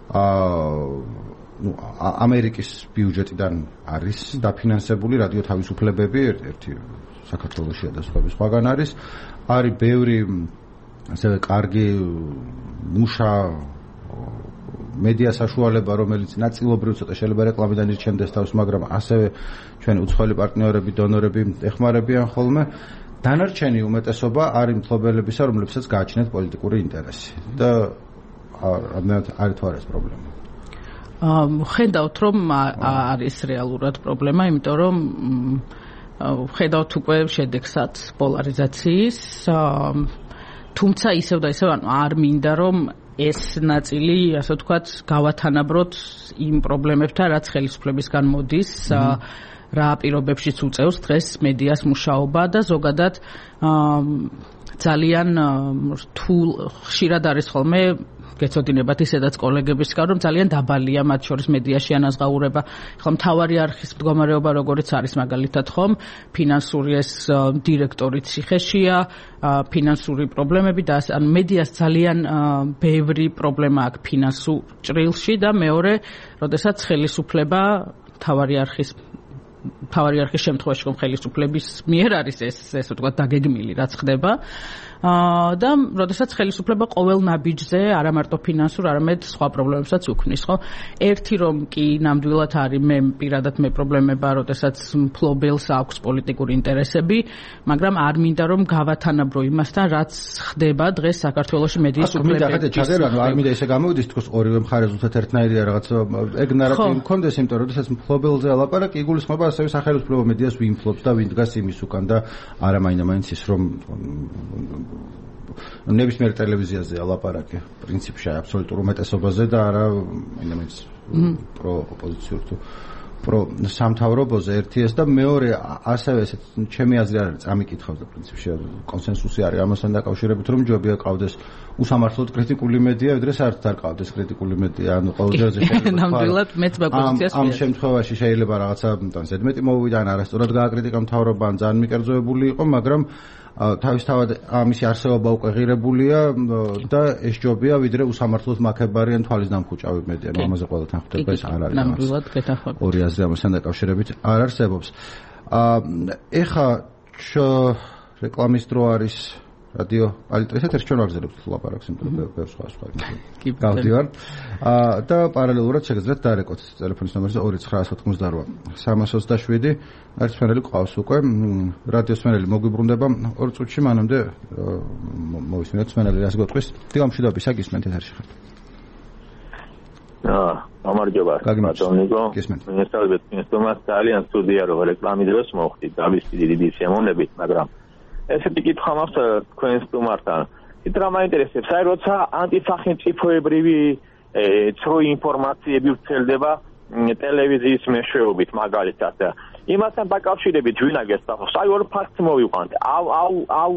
აა ну ამერიკის ბიუჯეტიდან არის დაფინანსებული რადიო თავისუფლებები, ერთი საქართველოსია და სხვა სხვაგან არის. არის ბევრი ასევე კარგი მუშა მედია საშუალება, რომელიც ნაწილობრივ ცოტა შეიძლება რეკლამიდან ირჩენდეს თავს, მაგრამ ასევე ჩვენი უცხოელი პარტნიორები, დონორები ეხმარებიან ხოლმე. დანარჩენი უმეტესობა არის მფლობელებისა, რომლებსაც გააჩნიათ პოლიტიკური ინტერესი და რამდენად არის თუ არა ეს პრობლემა. ხედავთ რომ არის რეალურად პრობლემა, იმიტომ რომ ხედავთ უკვე შედეგსაც პოლარიზაციის, თუმცა ისევ და ისევ ანუ არ მინდა რომ ეს ნაწილი, ასე ვთქვათ, გავათანაბროთ იმ პრობლემებთან, რაც ხელისუფლებისგან მოდის, რა პირობებშიც უწევს დღეს მედიას მუშაობა და ზოგადად ძალიან რთულ ხშირად არის ხოლმე გეცოდინებათ ისედაც კოლეგებისგან, რომ ძალიან დაბალია მათ შორის მედიაში ანაზღაურება. ხო, მთავარი არხის მდგომარეობა როგორიც არის მაგალითად ხომ, ფინანსური ეს დირექტორი ციხეშია, ფინანსური პრობლემები და ანუ მედიას ძალიან ბევრი პრობლემა აქვს ფინანსურ ჭრილში და მეორე, როდესაც ხელისუფლება მთავარი არხის მთავარი არხის შემთხვევაში რომ ხელისუფლების მიერ არის ეს ესე ვთქვათ დაგეგმილი რაც ხდება და როდესაც ხელისუფლება ყოველ ნაბიჯზე არა მარტო ფინანსურ, არამედ სხვა პრობლემებსაც უქმნის, ხო? ერთი რომ კი ნამდვილად არის მე პირადად მე პრობლემება, როდესაც მფლობელს აქვს პოლიტიკური ინტერესები, მაგრამ არ მინდა რომ გავათანაბრო იმასთან, რაც ხდება დღეს საქართველოში მედიის უფლებებში. ჩაგერანო არ მინდა ესე გამოვიდეს, თქოს ორივე მხარეს უცებ ერთნაირია რაღაც ეგ ნარატივი მქონდეს, იმიტომ რომ როდესაც მფლობელზე ალაპარაკი იგულისხმება ასევე სახელმწიფო მედიას ვინ ფლობს და ვინ დგას იმის უკან და არა მაინდა-მაინც ის რომ ნებისმიერ ტელევიზიაზე ალაპარაკი პრინციპში აბსოლუტურ უმეტესობაზე და არა მაინდა-მაინც პრო ოპოზიციურ თუ პრო სამთავრობოზე ერთი ეს და მეორე ასევე ესეც ჩემი აზრი არ არის წამიკითხავს და პრინციპში კონსენსუსი არის ამასთან დაკავშირებით რომ ჯობია ყავდეს უსამართლოდ კრიტიკული მედია, ვიდრე საერთოდ არ ყავდეს კრიტიკული მედია, ანუ ყოველდღიურზე შეიძლება ნამდვილად მეც მაგპოზიციას ამ შემთხვევაში შეიძლება რაღაცა ზედმეტი მოვიდა ან არასწორად გააკრიტიკა მთავრობა ან ძალიან მიკერძოებული იყო, მაგრამ თავისთავად ამისი არსებობა უკვე ღირებულია და ეს ჯობია ვიდრე უსამართლოდ მაქებარი ან თვალის დამხუჭავი მედია, ამაზე ყველგან ხვდება ეს არ არის. ნამდვილად გეთახმებით. ორი აზრი ამასთან დაკავშირებით არ არსებობს. ეხა რეკლამის დრო არის რადიო პალიტრისეთ ერთ ჩვენ ვაგზავნებთ ლაპარაკს იმ ბევრ სხვა სხვა გავდივარ და პარალელურად შეგიძლიათ დაერეკოთ ტელეფონის ნომერზე ორი ცხრა ათოთხმოცდაორი სამას ოცდაშვიდი ერთმანელი ყავს უკვე რადიოს მენელი მოგვიბრუნდება ორ წუთში მანამდე მოვისმინოთ მენელი რას გეტყვის დილამშვიდობი საგისმენთ ეთერში ხართ აა გამარჯობა ბატონიკო მინესწავლეთ მინესტომას ძალიან სტუდია რო რეკლამის დროს მოხდით დავისწრდი დიდი შემოვნებით მაგრამ ესეთი კითხვა მაქვს თქვენ სტუმართან. ითხრა მაინტერესებს, აი როცა ანტისახელმწიფოებრივი ცრუ ინფორმაციები ვრცელდება ტელევიზიის მეშვეობით მაგალითად. იმასთან დაკავშირებით ვინაგეს თავს, აი ორ ფაქტს მოვიყვანთ. აუ აუ აუ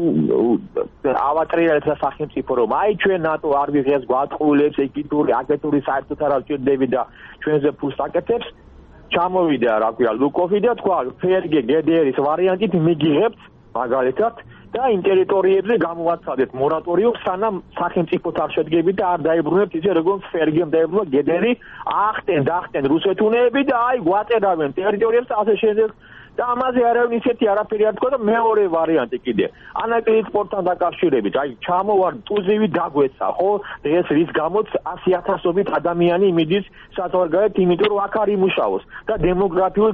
ავატრიალებს სახელმწიფო რომ აი ჩვენ ნატო არ ვიღებს გვატყულებს ეკიტური აგენტური საერთოდ არ ვჭირდები და ჩვენზე ფულს აკეთებს. ჩამოვიდა რა ქვია ლუკოვი და თქვა ფერგე გედერის ვარიანტით მიგიღებთ მაგალითად და იმ ტერიტორიებზე გამოვაცადეთ მორატორიუმს სანამ სახელმწიფოთ არ შედგებით და არ დაიბრუნებთ ისე როგორც ფერგემ დაიბრუნა გედერი ახტენ დახტენ რუსეთუნეები და აი გვაწერავენ ტერიტორიებს ასე შემდეგ და ამაზე არავინ ისეთი არაფერი არ თქვა და მეორე ვარიანტი კიდე ანაკლიის სპორტთან დაკავშირებით აი ჩამოვარ ტუზივი დაგვეცა ხო დღეს რის გამოც ასი ათასობით ადამიანი მიდის საზღვარგარეთ იმიტომ რომ აქ არ იმუშაოს და დემოგრაფიულ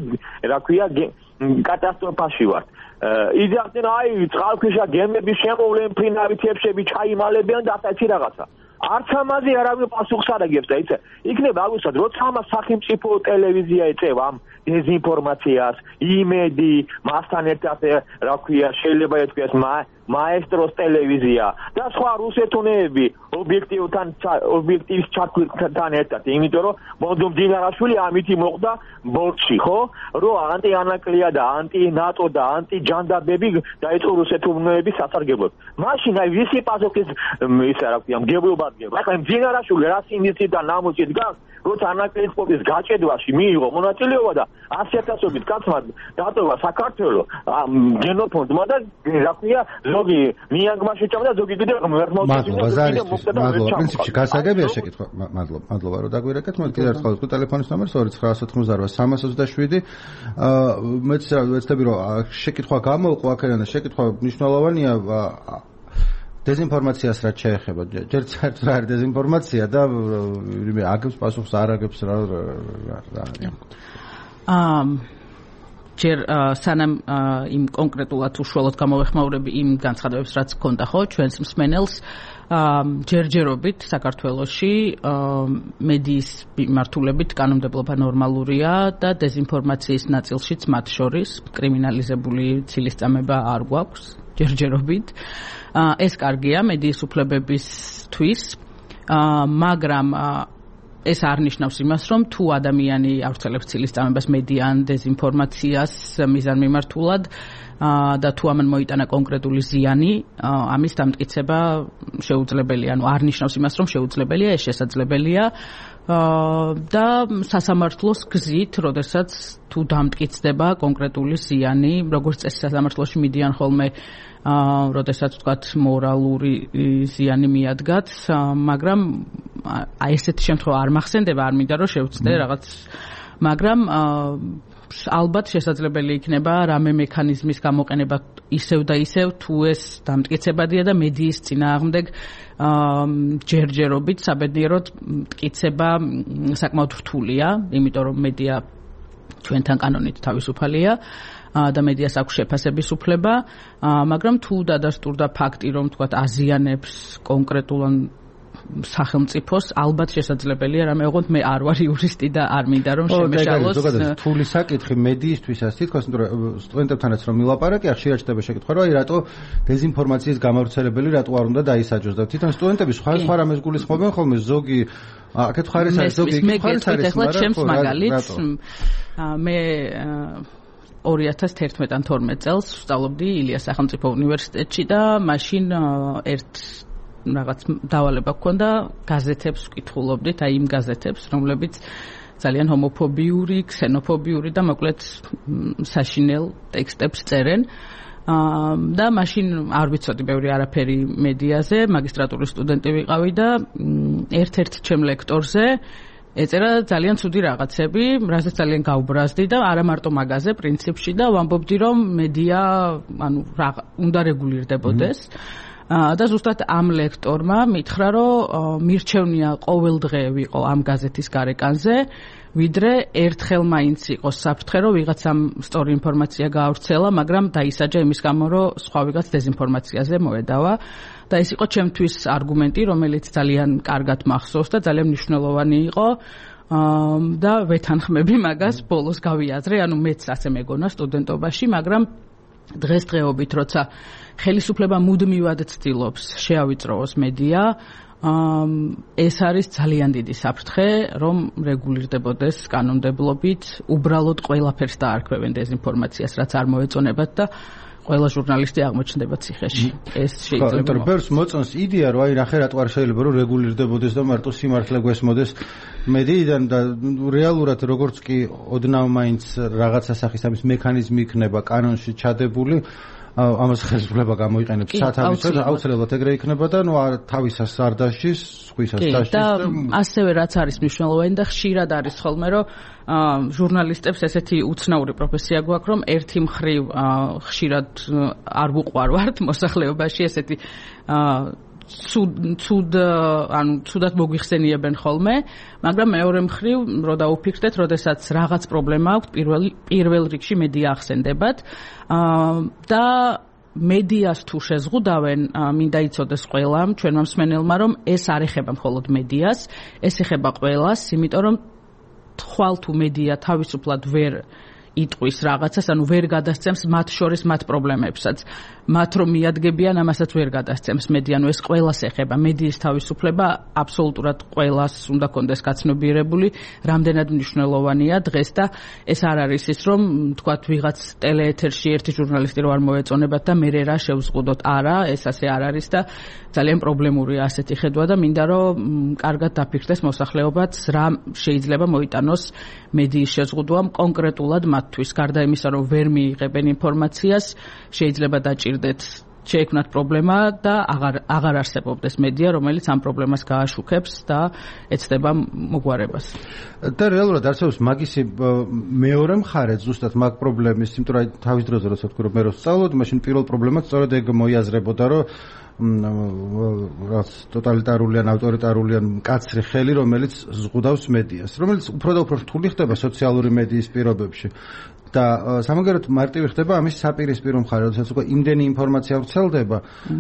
რა ქვია კატასტროფაში ვართ იძახდნენ აი წყალქვეშა გემების შემოვლენ ფრინავი თებშები ჩაიმალებიან და ასეთი რაღაცა არც ამაზე არავინ პასუხს არ აგებს და იცი იქნება აგვისად როცა ამას სახელმწიფო ტელევიზია ეწევა ამ დეზინფორმაციას იმედი მასთან ერთად რა ქვია შეიძლება ეთქვას მაესტროს ტელევიზია და სხვა რუსეთუნეები ობიექტივთან ობიექტივის ჩაქვირთან ერთად იმიტომ რომ ბონდო მდინარაშვილი ამითი მოხდა ბორცში ხო რომ ანტი-ანაკლია და ანტი-ნატო და ანტი-ჯანდაბები დაიწყო რუსეთუნეების სასარგებლოდ მაშინ აი ვისი პასუხის ისა რა ქვია მგებლობა დგება ახლა მდინარაშვილი რა სინდისით და ნამუსით დგას როცა ანაკლიის სპორტის გაჭედვაში მიიღო მონაწილეობა და ასი ათასობით კაცმა დატოვა საქართველოს გენოფონდმა და რა ქვია ზოგი მიანგმაში ჩავდა ზოგი კიდე მადლობა ზარისთვის მადლობა პრინციპში გასაგებია შეკითხვა მადლობა მადლობა რომ დაგვირეკეთ მოდი კიდევ ერთხელ ვთქვი ტელეფონის ნომერს ორი ცხრა ათოთხმოცდაორი სამას ოცდაშვიდი მეც ვეცდები რომ შეკითხვა გამოუყვა აქედან და შეკითხვა მნიშვნელოვანია დეზინფორმაციას რაც შეეხება ჯერ საერთოდ არის დეზინფორმაცია და აგებს პასუხს არ აგებს რა რა აა ჯერ სანამ იმ კონკრეტულად უშუალოდ გამოვეხმაურები იმ განცხადებებს, რაც გქონდა ხო ჩვენს მსმენელს, ჯერჯერობით საქართველოში მედიის მიმართულებით კანონმდებლობა ნორმალურია და დეზინფორმაციის ნაწილშიც მათ შორის კრიმინალიზებული ცილისწამება არ გვაქვს ჯერჯერობით. ეს კარგია მედიის უფლებებისთვის, მაგრამ ეს არ ნიშნავს იმას, რომ თუ ადამიანი ავრცელებს ცილისწამებას მედიან დეზინფორმაციას მიზანმიმართულად და თუ ამან მოიტანა კონკრეტული ზიანი, ამის დამტკიცება შეუძლებელია. ანუ არ ნიშნავს იმას, რომ შეუძლებელია, ეს შესაძლებელია და სასამართლოს გზით, როდესაც თუ დამტკიცდება კონკრეტული ზიანი, როგორც წესი სასამართლოში მიდიან ხოლმე როდესაც ვთქვათ მორალური ზიანი მიადგათ, მაგრამ აი ესეთი შემთხვევა არ მახსენდება, არ მინდა რომ შევწდე რაღაც, მაგრამ ალბათ შესაძლებელი იქნება რამე მექანიზმის გამოყენება ისევ და ისევ, თუ ეს დამტკიცებადია და მედიის წინააღმდეგ ჯერჯერობით საბედნიეროდ მტკიცება საკმაოდ რთულია, იმიტომ რომ მედია ჩვენთან კანონით თავისუფალია და მედიას აქვს შეფასების უფლება, მაგრამ თუ დადასტურდა ფაქტი, რომ თქვათ აზიანებს კონკრეტულად სახელმწიფოს, ალბათ შესაძლებელია რამე ოღონდ მე არ ვარ იურისტი და არ მინდა რომ შემეშალოს. ზოგადად რთული საკითხი მედიისთვისაც თითქოს სტუდენტებთანაც რომ ვილაპარაკე, ხშირად ჩნდება შეკითხვა, რომ აი რატო დეზინფორმაციის გამავრცელებელი რატო არ უნდა დაისაჯოს და თვითონ სტუდენტები სხვა სხვა რამეს გულისხმობენ ხოლმე, ზოგი აქეთ ხარის არის, ზოგი იქ ხარის არის, მაგრამ მე ორი ათას თერთმეტ ან თორმეტ წელს ვსწავლობდი ილიას სახელმწიფო უნივერსიტეტში და მაშინ ერთ რაღაც დავალება გქონდა გაზეთებს ვკითხულობდით, აი იმ გაზეთებს, რომლებიც ძალიან ჰომოფობიური, ქსენოფობიური და მოკლედ საშინელ ტექსტებს წერენ. და მაშინ არ ვიცოდი ბევრი არაფერი მედიაზე, მაგისტრატურის სტუდენტი ვიყავი და ერთ-ერთ ჩემ ლექტორზე ეწერა ძალიან ცუდი რაღაცები, რასაც ძალიან გავბრაზდი და არა მარტო მაგაზე პრინციპში და ვამბობდი, რომ მედია, ანუ უნდა რეგულირდებოდეს. და ზუსტად ამ ლექტორმა მითხრა, რომ მირჩევნია ყოველ დღე ვიყო ამ გაზეთის გარეკანზე, ვიდრე ერთხელ მაინც იყოს საფრთხე, რომ ვიღაცამ სწორი ინფორმაცია გაავრცელა, მაგრამ დაისაჯა იმის გამო, რომ სხვა ვიღაც დეზინფორმაციაზე მოედავა. და ეს იყო ჩემთვის არგუმენტი, რომელიც ძალიან კარგად მახსოვს და ძალიან მნიშვნელოვანი იყო. და ვეთანხმები მაგას, ბოლოს გავიაზრე, ანუ მეც ასე მეგონა სტუდენტობაში, მაგრამ დღესდღეობით, როცა ხელისუფლება მუდმივად ცდილობს შეავიწროოს მედია, ეს არის ძალიან დიდი საფრთხე, რომ რეგულირდებოდეს კანონმდებლობით, უბრალოდ ყველაფერს დაარქვევენ დეზინფორმაციას, რაც არ მოეწონებათ და ყველა ჟურნალისტი აღმოჩნდება ციხეში. ეს შეიძლება. ხო, ბერს მოწონს იდეა, რომ აი ნახე რატო არ შეიძლება რომ რეგულირდებოდეს და მარტო სიმართლე გვესმოდეს მედიიდან და რეალურად როგორც კი ოდნავ მაინც რაღაცა სახის ამის მექანიზმი იქნება კანონში ჩადებული, ამას ხელისუფლება გამოიყენებს სათავისად, აუცილებლად ეგრე იქნება და ნუ თავისას არ დაშის, სხვისას დაშის და ასევე რაც არის მნიშვნელოვანი და ხშირად არის ხოლმე, რომ ჟურნალისტებს ესეთი უცნაური პროფესია გვაქვს, რომ ერთი მხრივ ხშირად არ ვუყვარვართ მოსახლეობაში ესეთი ცუდ ცუდ ანუ ცუდად მოგვიხსენიებენ ხოლმე, მაგრამ მეორე მხრივ რო დაუფიქრდეთ, როდესაც რაღაც პრობლემა აქვს, პირველ პირველ რიგში მედია ახსენდებათ და მედიას თუ შეზღუდავენ, მინდა იცოდეს ყველამ, ჩვენმა მსმენელმა, რომ ეს არ ეხება მხოლოდ მედიას, ეს ეხება ყველას, იმიტომ რომ ხვალ თუ მედია თავისუფლად ვერ იტყვის რაღაცას, ანუ ვერ გადასცემს მათ შორის მათ პრობლემებსაც. მათ რომ მიადგებიან, ამასაც ვერ გადასცემს მედია, ანუ ეს ყველას ეხება. მედიის თავისუფლება აბსოლუტურად ყველას უნდა კონდეს გაცნობიერებული, რამდენად მნიშვნელოვანია დღეს და ეს არ არის ის, რომ თქვათ ვიღაც ტელეეთერში ერთი ჟურნალისტი რო არ მოეწონებათ და მე რა შევზღუდოთ. არა, ეს ასე არ არის და ძალიან პრობლემურია ასეთი ხედვა და მინდა რომ კარგად დაფიქრდეს მოსახლეობაც, რა შეიძლება მოიტანოს მედიის შეზღუდვამ კონკრეტულად მათთვის. გარდა იმისა, რომ ვერ მიიღებენ ინფორმაციას, შეიძლება დაჭირდეთ შეექმნათ პრობლემა და აღარ აღარ არსებობდეს მედია, რომელიც ამ პრობლემას გააშუქებს და ეცდება მოგვარებას. და რეალურად არსებობს მაგისი მეორე მხარე ზუსტად მაგ პრობლემის, იმიტომ რომ თავის დროზე როცა თქვი რომ მე რო სწავლობდი, მაშინ პირველ პრობლემას სწორედ ეგ მოიაზრებოდა, რომ რაც ტოტალიტარული ან ავტორიტარული ან მკაცრი ხელი, რომელიც ზღუდავს მედიას, რომელიც უფრო და უფრო რთული ხდება სოციალური მედიის პირობებში. და სამაგერად მარტივი ხდება ამის საპირისპირო მხარე, როდესაც უკვე იმდენი ინფორმაცია ვრცელდება,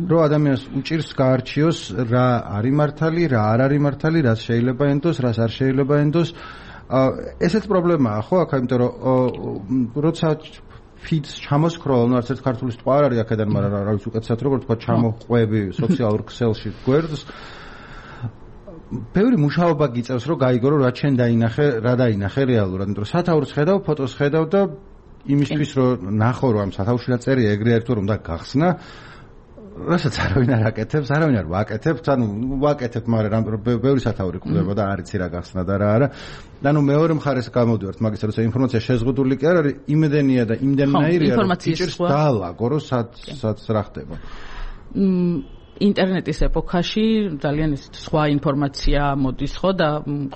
რომ ადამიანს უჭირს გაარჩიოს რა არის მართალი, რა არ არის მართალი, რაც შეიძლება ენდოს, რაც არ შეიძლება ენდოს. ესეც პრობლემაა, ხო, აქ, იმიტომ რომ როცა ფიდს ჩამოსქროლ, არც ერთ ქართული სიტყვა არ არის აქედან, მაგრამ რა ვიცი უკეთესად როგორ თქვა, ჩამოყვები სოციალურ ქსელში გვერდს. ბევრი მუშაობა გიწევს, რომ გაიგო, რომ რა ჩვენ დაინახე, რა დაინახე რეალურად, იმიტომ რომ სათაურს ხედავ, ფოტოს ხედავ და იმისთვის, რომ ნახო, რომ ამ სათაურში რა წერია, ეგრე არ თუ რომ და გახსნა, რასაც არავინ არ აკეთებს, არავინ არ ვაკეთებთ, ანუ ვაკეთებ, მაგრამ ბევრი სათაური გვხვდება და არ იცი რა გახსნა და რა არა. და ნუ მეორე მხარეს გამოდივართ, მაგის როცა ინფორმაცია შეზღუდული კი არ არის, იმედენია და იმდენნაირია, რომ იჭერს დაალაგო, რომ სადაც რა ხდება. ინტერნეტის ეპოქაში ძალიან ისეთი სხვა ინფორმაცია მოდის ხო და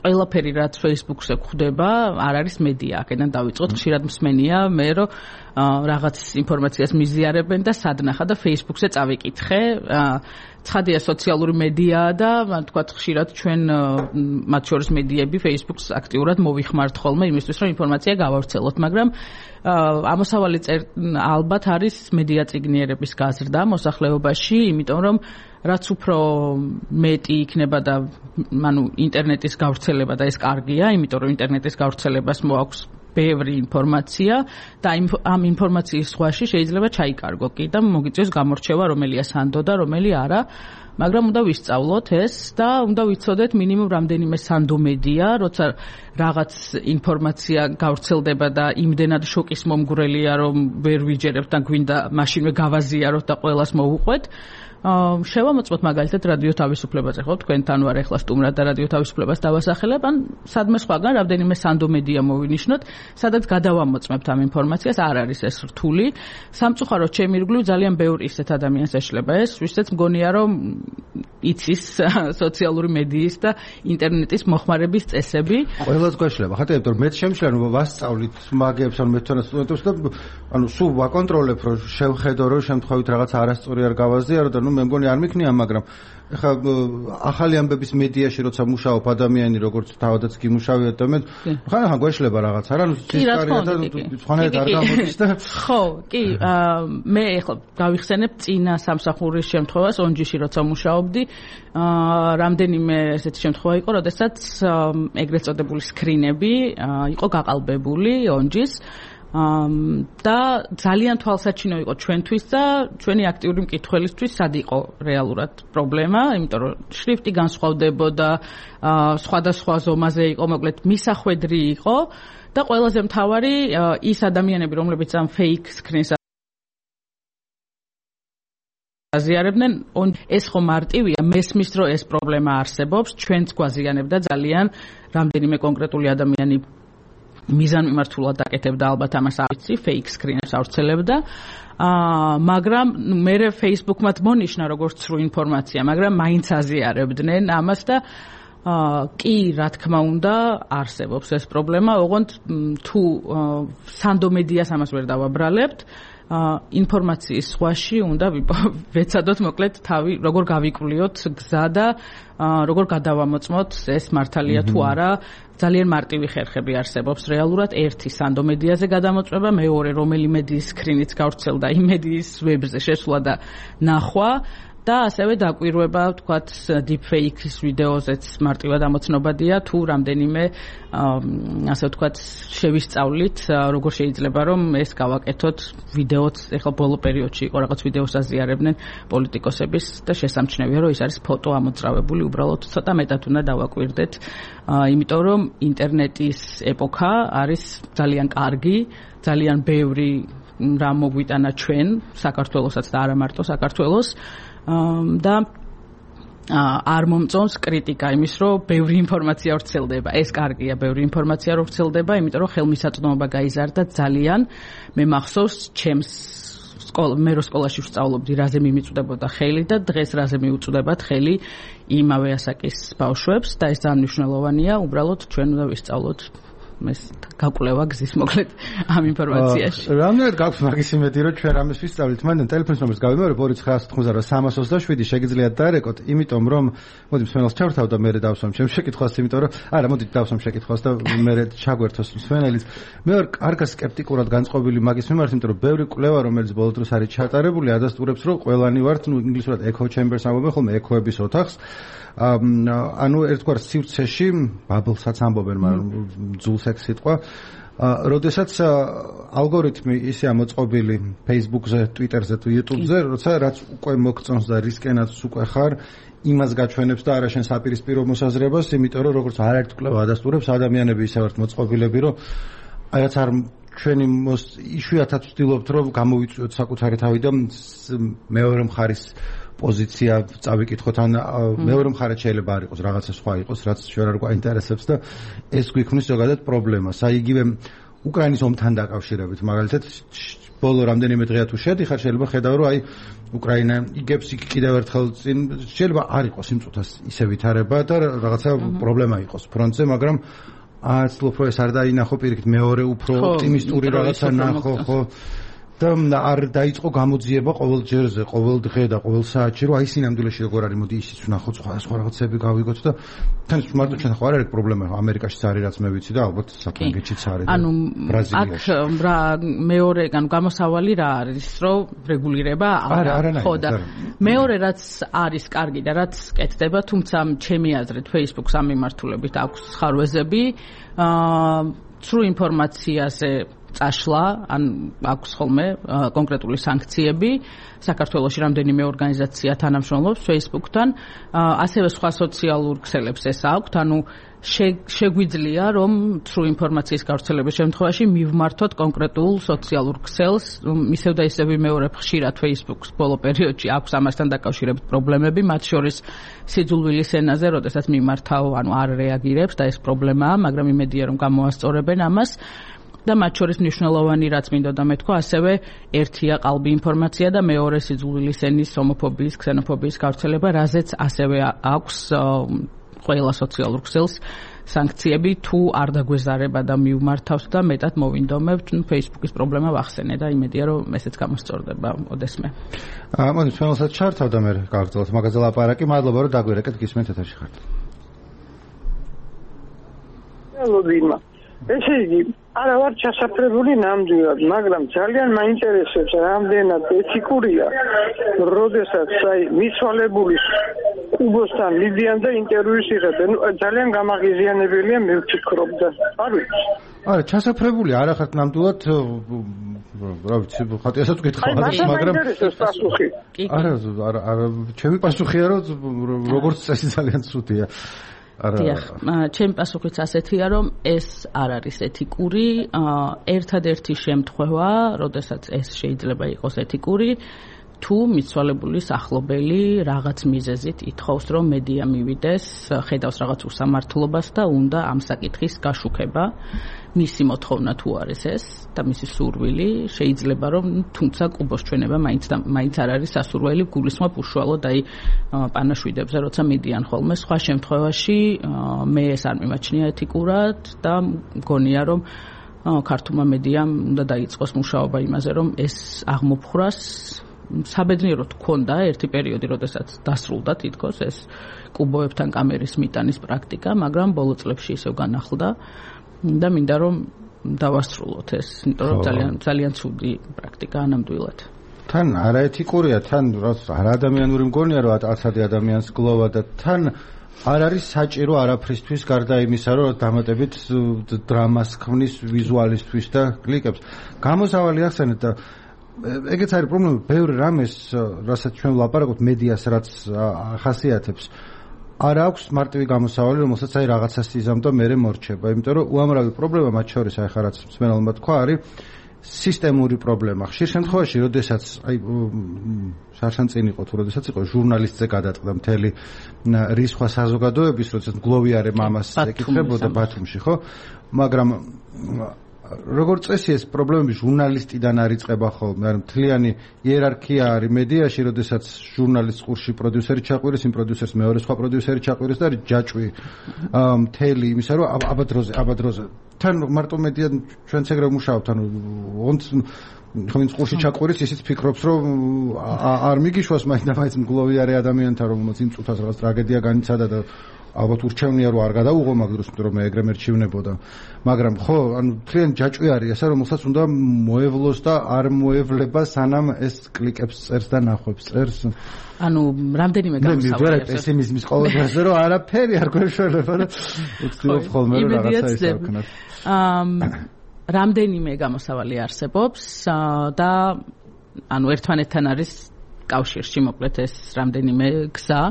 ყველაფერი რაც Facebook-ზე გვხვდება არ არის მედია. აქედან დავიწყოთ, ხშირად მსმენია მე რომ რაღაც ინფორმაციას მიზიარებენ და სადნახა და Facebook-ზე წავიკითხე. ცხადია სოციალური მედიაა და თქვათ ხშირად ჩვენ მათ შორის მედიები Facebook-ს აქტიურად მოვიხმართ ხოლმე იმისთვის რომ ინფორმაცია გავავრცელოთ, მაგრამ ამოსავალი ალბათ არის მედია წიგნიერების გაზრდა მოსახლეობაში, იმიტომ რომ რაც უფრო მეტი იქნება და ანუ ინტერნეტის გავრცელება და ეს კარგია, იმიტომ რომ ინტერნეტის გავრცელებას მოაქვს ბევრი ინფორმაცია და ამ ინფორმაციის ზღვაში შეიძლება ჩაიკარგო კი და მოგიწევს გამორჩევა რომელია სანდო და რომელი არა, მაგრამ უნდა ვისწავლოთ ეს და უნდა ვიცოდეთ მინიმუმ რამდენიმე სანდო მედია, როცა რაღაც ინფორმაცია გავრცელდება და იმდენად შოკის მომგვრელია, რომ ვერ ვიჯერებთ და გვინდა მაშინვე გავაზიაროთ და ყველას მოვუყვეთ. შევამოწმოთ მაგალითად რადიო თავისუფლებაზე, ხო, თქვენთან ვარ ახლა სტუმრად და რადიო თავისუფლებას დავასახელებ, ან სადმე სხვაგან რამდენიმე სანდო მედია მოვინიშნოთ, სადაც გადავამოწმებთ ამ ინფორმაციას, არ არის ეს რთული. სამწუხაროდ ჩემი ირგვლივ ძალიან ბევრი ისეთ ადამიანს ეშლება ეს, ვისაც მგონია რომ იცის სოციალური მედიის და ინტერნეტის მოხმარების წესები. ყველას გვეშლება, ხათი, იმიტომ რომ მეც შემიძლია რომ ვასწავლით მაგებს, ანუ მე თვითონ სტუდენტებს და ანუ სულ ვაკონტროლებ, რომ შევხედო, რომ შემთხვევით რაღაც არასწორი არ გავაზიარო და მე მგონი არ მიქნია, მაგრამ ეხლა ახალი ამბების მედიაში როცა მუშაობ ადამიანი როგორც თავადაც გიმუშავია და მე ხან ხან გვეშლება რაღაცა რა, ნუ სისკარია და სხვანაირად არ გამოდის და ხო, კი, მე ეხლა გავიხსენებ წინა სამსახურის შემთხვევას ონჯიში როცა მუშაობდი, რამდენიმე ესეთი შემთხვევა იყო, როდესაც ეგრეთ წოდებული სკრინები იყო გაყალბებული ონჯის და ძალიან თვალსაჩინო იყო ჩვენთვის და ჩვენი აქტიური მკითხველისთვის სად იყო რეალურად პრობლემა, იმიტომ რომ შრიფტი განსხვავდებოდა, სხვადასხვა ზომაზე იყო, მოკლედ მისახვედრი იყო და ყველაზე მთავარი ის ადამიანები, რომლებიც ამ fake screen-ს აზიარებდნენ, ეს ხო მარტივია, მესმის რომ ეს პრობლემა არსებობს, ჩვენც გვაზიანებდა ძალიან რამდენიმე კონკრეტული ადამიანი მიზანმიმართულად აკეთებდა ალბათ ამას არ ვიცი, fake screen-ებს ავრცელებდა. აა მაგრამ მე Facebook-მაც მონიშნა როგორც სრულ ინფორმაცია, მაგრამ მაინც აზიარებდნენ ამას და აა კი, რა თქმა უნდა, არსებობს ეს პრობლემა, ოღონდ თუ სანდო მედიას ამას ვერ დავაბრალებთ, ინფორმაციის ზღვაში უნდა ვეცადოთ მოკლედ თავი როგორ გავიკვლიოთ გზა და როგორ გადავამოწმოთ ეს მართალია თუ არა. ძალიან მარტივი ხერხები არსებობს რეალურად. ერთი სანდო მედიაზე გადამოწმება, მეორე რომელი მედიის სკრინიც გავრცელდა იმ მედიის ვებზე შესვლა და ნახვა და ასევე დაკვირვება, ვთქვათ, deepfake-ის ვიდეოზეც მარტივად ამოცნობადია, თუ რამდენიმე ასე ვთქვათ, შევისწავლით, როგორ შეიძლება რომ ეს გავაკეთოთ ვიდეოც, ეხლა ბოლო პერიოდში იყო რაღაც ვიდეოს აზიარებდნენ პოლიტიკოსების და შესამჩნევია, რომ ის არის ფოტო ამოწრავებული, უბრალოდ ცოტა მეტად უნდა დავაკვირდეთ, იმიტომ რომ ინტერნეტის ეპოქა არის ძალიან კარგი, ძალიან ბევრი რამ მოგვიტანა ჩვენ, საქართველოსაც და არა მარტო საქართველოს და არ მომწონს კრიტიკა იმის, რომ ბევრი ინფორმაცია ვრცელდება. ეს კარგია, ბევრი ინფორმაცია რო ვრცელდება, იმიტომ რომ ხელმისაწვდომობა გაიზარდა ძალიან. მე მახსოვს ჩემს სკოლა, მე რო სკოლაში ვსწავლობდი, რაზე მიმიწვდებოდა ხელი და დღეს რაზე მიუწვდებათ ხელი იმავე ასაკის ბავშვებს და ეს ძალიან მნიშვნელოვანია, უბრალოდ ჩვენ უნდა ვისწავლოთ ეს გაკვლევა გზის მოკლედ ამ ინფორმაციაში. რამდენად გაქვს მაგის იმედი, რომ ჩვენ ამას ვისწავლით? მანდ ტელეფონის ნომერს გავიმეორებ ორი ცხრა ათი სამას ოცდაშვიდი შეგიძლიათ დაერეკოთ, იმიტომ რომ მოდი მსმენელს ჩავთავ და მე დავსვამ ჩემს შეკითხვას, იმიტომ რომ არა, მოდი დავსვამ შეკითხვას და მე ჩაგვერთოს მსმენელიც. მე ვარ კარგად სკეპტიკურად განწყობილი მაგის მიმართ, იმიტომ რომ ბევრი კვლევა, რომელიც ბოლო დროს არის ჩატარებული, ადასტურებს, რომ ყველანი ვართ, ნუ ინგლისურად echo chambers ამბობენ ხოლმე echo-ების ოთახს. ანუ ერთგვარ სივრცეში ბაბლსაც ამბობენ, მაგრამ ძულს ეგ სიტყვა. როდესაც ალგორითმი ისე ამოწყობილი Facebook-ზე, Twitter-ზე თუ YouTube-ზე, როცა რაც უკვე მოგწონს და რისკენაც უკვე ხარ, იმას გაჩვენებს და არა შენ საპირისპირო მოსაზრებას, იმიტომ რომ როგორც არაერთ კვლევა ადასტურებს, ადამიანები ისე ვართ მოწყობილები, რომ აი რაც არ ჩვენი იშვიათად ვცდილობთ, რომ გამოვიწვიოთ საკუთარი თავი და მეორე მხარის პოზიცია წავიკითხოთ, ან მეორე მხარეს შეიძლება არ იყოს რაღაცა სხვა იყოს, რაც ჩვენ არ გვაინტერესებს და ეს გვიქმნის ზოგადად პრობლემას. აი იგივე უკრაინის ომთან დაკავშირებით, მაგალითად, ბოლო რამდენიმე დღეა თუ შედიხარ, შეიძლება ხედავ, რომ აი უკრაინა იგებს იქ კიდევ ერთხელ წინ, შეიძლება არ იყოს იმ წუთას ისე ვითარება და რაღაცა პრობლემა იყოს ფრონტზე, მაგრამ აცლობ რომ ეს არ დაინახო პირიქით მეორე უფრო ოპტიმისტური რაღაცა ნახო, ხო? და არ დაიწყო გამოძიება ყოველ ჯერზე, ყოველ დღე და ყოველ საათში, რომ აი სინამდვილეში როგორ არის, მოდი ისიც ვნახოთ, სხვა სხვა რაღაცები გავიგოთ და თან მარტო ჩვენ ხო არ არის პრობლემა, ამერიკაშიც არის რაც მე ვიცი და ალბათ საფრანგეთშიც არის. ანუ აქ რა მეორე, ანუ გამოსავალი რა არის, რომ რეგულირება არა, ხო და მეორე რაც არის კარგი და რაც კეთდება, თუმცა ჩემი აზრით Facebook-ს ამ მიმართულებით აქვს ხარვეზები, აა სრულ ინფორმაციაზე წაშლა, ან აქვს ხოლმე კონკრეტული სანქციები. საქართველოში რამდენიმე ორგანიზაცია თანამშრომლობს Facebook-თან, ასევე სხვა სოციალურ ქსელებს ეს აქვთ, ანუ შეგვიძლია რომ სრულ ინფორმაციის გავრცელების შემთხვევაში მივმართოთ კონკრეტულ სოციალურ ქსელს, ისევ და ისევ ვიმეორებ ხშირად Facebook-ს ბოლო პერიოდში აქვს ამასთან დაკავშირებით პრობლემები, მათ შორის სიძულვილის ენაზე, როდესაც მიმართავ, ანუ არ რეაგირებს და ეს პრობლემაა, მაგრამ იმედია რომ გამოასწორებენ ამას. და მათ შორის მნიშვნელოვანი რაც მინდოდა მეთქვა, ასევე ერთია ყალბი ინფორმაცია და მეორე სიძულვილის ენის, ჰომოფობიის, ქსენოფობიის გავრცელება, რაზეც ასევე აქვს ყველა სოციალურ ქსელს სანქციები, თუ არ დაგვეზარება და მივმართავს და მეტად მოვინდომებთ, Facebook-ის პრობლემა ვახსენე და იმედია რომ ესეც გამოსწორდება ოდესმე. აა მოდი ჩვენსაც ჩართავ და მე გავგრძელოთ მაგაზე ლაპარაკი. მადლობა რომ დაგვირეკეთ, გისმენთ ეთერში ხართ. მადლობა. ესე იგი, არა ვარ ჩასაფრებული ნამდვილად, მაგრამ ძალიან მაინტერესებს რამდენად ეთიკურია, როდესაც აი მიცვალებული კუბოსთან მიდიან და ინტერვიუს იღებენ. ძალიან გამაღიზიანებელია, მე ვფიქრობ და არ ვიცი. არა, ჩასაფრებული არ ახართ ნამდვილად, რა ვიცი, ხათიასაც ვკითხავ, მაგრამ არა, არა, არა, ჩემი პასუხია, რომ როგორც წესი ძალიან ცუდია. დიახ, ჩემი პასუხიც ასეთია, რომ ეს არ არის ეთიკური, ერთადერთი შემთხვევა, როდესაც ეს შეიძლება იყოს ეთიკური, თუ მიცვალებულის ახლობელი რაღაც მიზეზით ითხოვს, რომ მედია მივიდეს, ხედავს რაღაც უსამართლობას და უნდა ამ საკითხის გაშუქება. მისი მოთხოვნა თუ არის ეს და მისი სურვილი, შეიძლება რომ თუმცა კუბოს ჩვენება მაინც მაინც არ არის სასურველი, გულისხმობ უშუალოდ აი პანაშვიდებზე, როცა მიდიან ხოლმე. სხვა შემთხვევაში მე ეს არ მიმაჩნია ეთიკურად და მგონია რომ ქართულმა მედიამ უნდა დაიწყოს მუშაობა იმაზე, რომ ეს აღმოფხვრას საბედნიეროდ ჰქონდა ერთი პერიოდი, როდესაც დასრულდა თითქოს ეს კუბოებთან კამერის მიტანის პრაქტიკა, მაგრამ ბოლო წლებში ისევ განახლდა და მინდა რომ დავასრულოთ ეს, იმიტომ რომ ძალიან ძალიან ცუდი პრაქტიკაა ნამდვილად. თან არაეთიკურია, თან არა ადამიანური მგონია, რომ ათასი ადამიანს გლოვა და თან არ არის საჭირო არაფრისთვის გარდა იმისა, რომ დამატებით დრამას ქმნის ვიზუალისტვის და კლიკებს. გამოსავალი ახსენეთ და ეგეც არის პრობლემა, ბევრი რამეს, რასაც ჩვენ ვლაპარაკობთ, მედიას რაც ახასიათებს, არ აქვს მარტივი გამოსავალი, რომელსაც აი რაღაცას იზამ და მერე მორჩება, იმიტომ რომ უამრავი პრობლემა, მათ შორის აი ხა რაც მსმენელმა თქვა, არის სისტემური პრობლემა. ხშირ შემთხვევაში, როდესაც აი შარშან წინ იყო თუ როდესაც იყო ჟურნალისტზე გადაწყდა მთელი რისხვა საზოგადოების, როდესაც გლოვიარე მამას ეკითხებოდა ბათუმში, ხო? მაგრამ როგორც წესი ეს პრობლემები ჟურნალისტიდან არიწყება ხოლმე, ანუ მთლიანი იერარქია არის მედიაში, როდესაც ჟურნალისტს ყურში პროდიუსერი ჩაყვირეს, იმ პროდიუსერს მეორე სხვა პროდიუსერი ჩაყვირეს და ჯაჭვი მთელი იმისა, რომ აბადროზე, აბადროზე. თან მარტო მედია ჩვენც ეგრე ვმუშაობთ, ანუ ონც ხომ ყურში ჩაყვირეს, ისიც ფიქრობს, რომ არ მიგიშვას მაინდა-მაინც მგლოვიარე ადამიანთა, რომელმაც იმ წუთას რაღაც ტრაგედია განიცადა და ალბათ ურჩევნია რომ არ გადაუღო მაგ დროს, იმიტომ რომ მე ეგრე მერჩივნებოდა. მაგრამ ხო, ანუ თლიან ჯაჭვი არის ესა, რომელსაც უნდა მოევლოს და არ მოევლება, სანამ ეს კლიკებს წერს და ნახვებს წერს. ანუ რამდენიმე გამოსავალი აქვს. მე პესიმიზმის ყოველდღიურობაზე რომ არაფერი არ გვეშველება და ვცდილობ ხოლმე რომ რაღაცა ისე ვქნათ. აა რამდენიმე გამოსავალი არსებობს და ანუ ერთმანეთთან არის კავშირში მოკლედ ეს რამდენიმე გზა.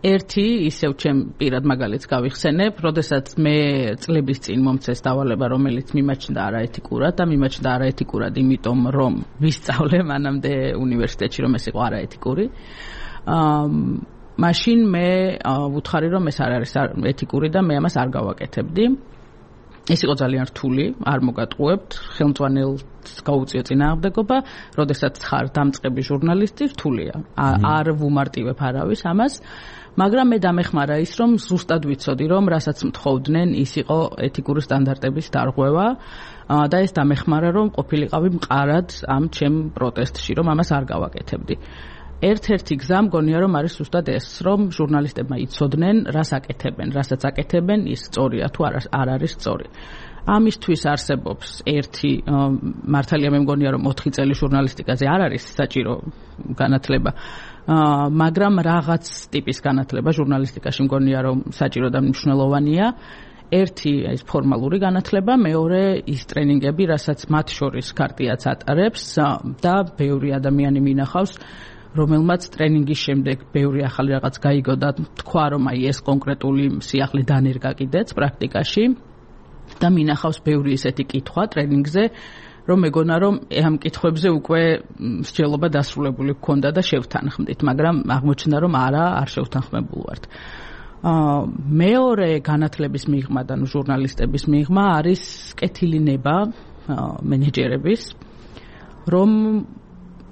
ერთი ისევ ჩემ პირად მაგალითს გავიხსენებ, როდესაც მე წლების წინ მომცეს დავალება, რომელიც მიმაჩნდა არაეთიკურად და მიმაჩნდა არაეთიკურად, იმიტომ რომ ვისწავლე მანამდე უნივერსიტეტში, რომ ეს იყო არაეთიკური. აა მაშინ მე ვუთხარი, რომ ეს არ არის ეთიკური და მე ამას არ გავაკეთებდი. ეს იყო ძალიან რთული, არ მოგატყუებთ, ხელმძღვანელს გაუწიო წინააღმდეგობა, როდესაც ხარ დამწყები ჟურნალისტი, რთულია. არ ვუმარტივებ არავის ამას, მაგრამ მე დამეხმარა ის, რომ ზუსტად ვიცოდი, რომ რასაც მთხოვდნენ, ის იყო ეთიკური სტანდარტების დარღვევა და ეს დამეხმარა, რომ ყოფილიყავი მყარად ამ ჩემ პროტესტში, რომ ამას არ გავაკეთებდი. ერთ-ერთი გზა მგონია რომ არის ზუსტად ეს, რომ ჟურნალისტებმა იცოდნენ, რას აკეთებენ, რასაც აკეთებენ, ის სწორია თუ არ არის სწორი. ამისთვის არსებობს ერთი მართალია მე მგონია რომ ოთხი წელი ჟურნალისტიკაზე არ არის საჭირო განათლება, მაგრამ რაღაც ტიპის განათლება ჟურნალისტიკაში მგონია რომ საჭირო და მნიშვნელოვანია. ერთი ის ფორმალური განათლება, მეორე ის ტრენინგები, რასაც მათ შორის ქარტიაც ატარებს და ბევრი ადამიანი მინახავს, რომელმაც ტრენინგის შემდეგ ბევრი ახალი რაღაც გაიგო და თქვა რომ აი ეს კონკრეტული სიახლე დანერგა კიდეც პრაქტიკაში და მინახავს ბევრი ისეთი კითხვა ტრენინგზე, რომ მეგონა რომ ამ კითხვებზე უკვე მსჯელობა დასრულებული გქონდა და შევთანხმდით, მაგრამ აღმოჩნდა რომ არა, არ შევთანხმებულ ვართ. აა მეორე განათლების მიღმა და ჟურნალისტების მიღმა არის კეთილი ნება მენეჯერების, რომ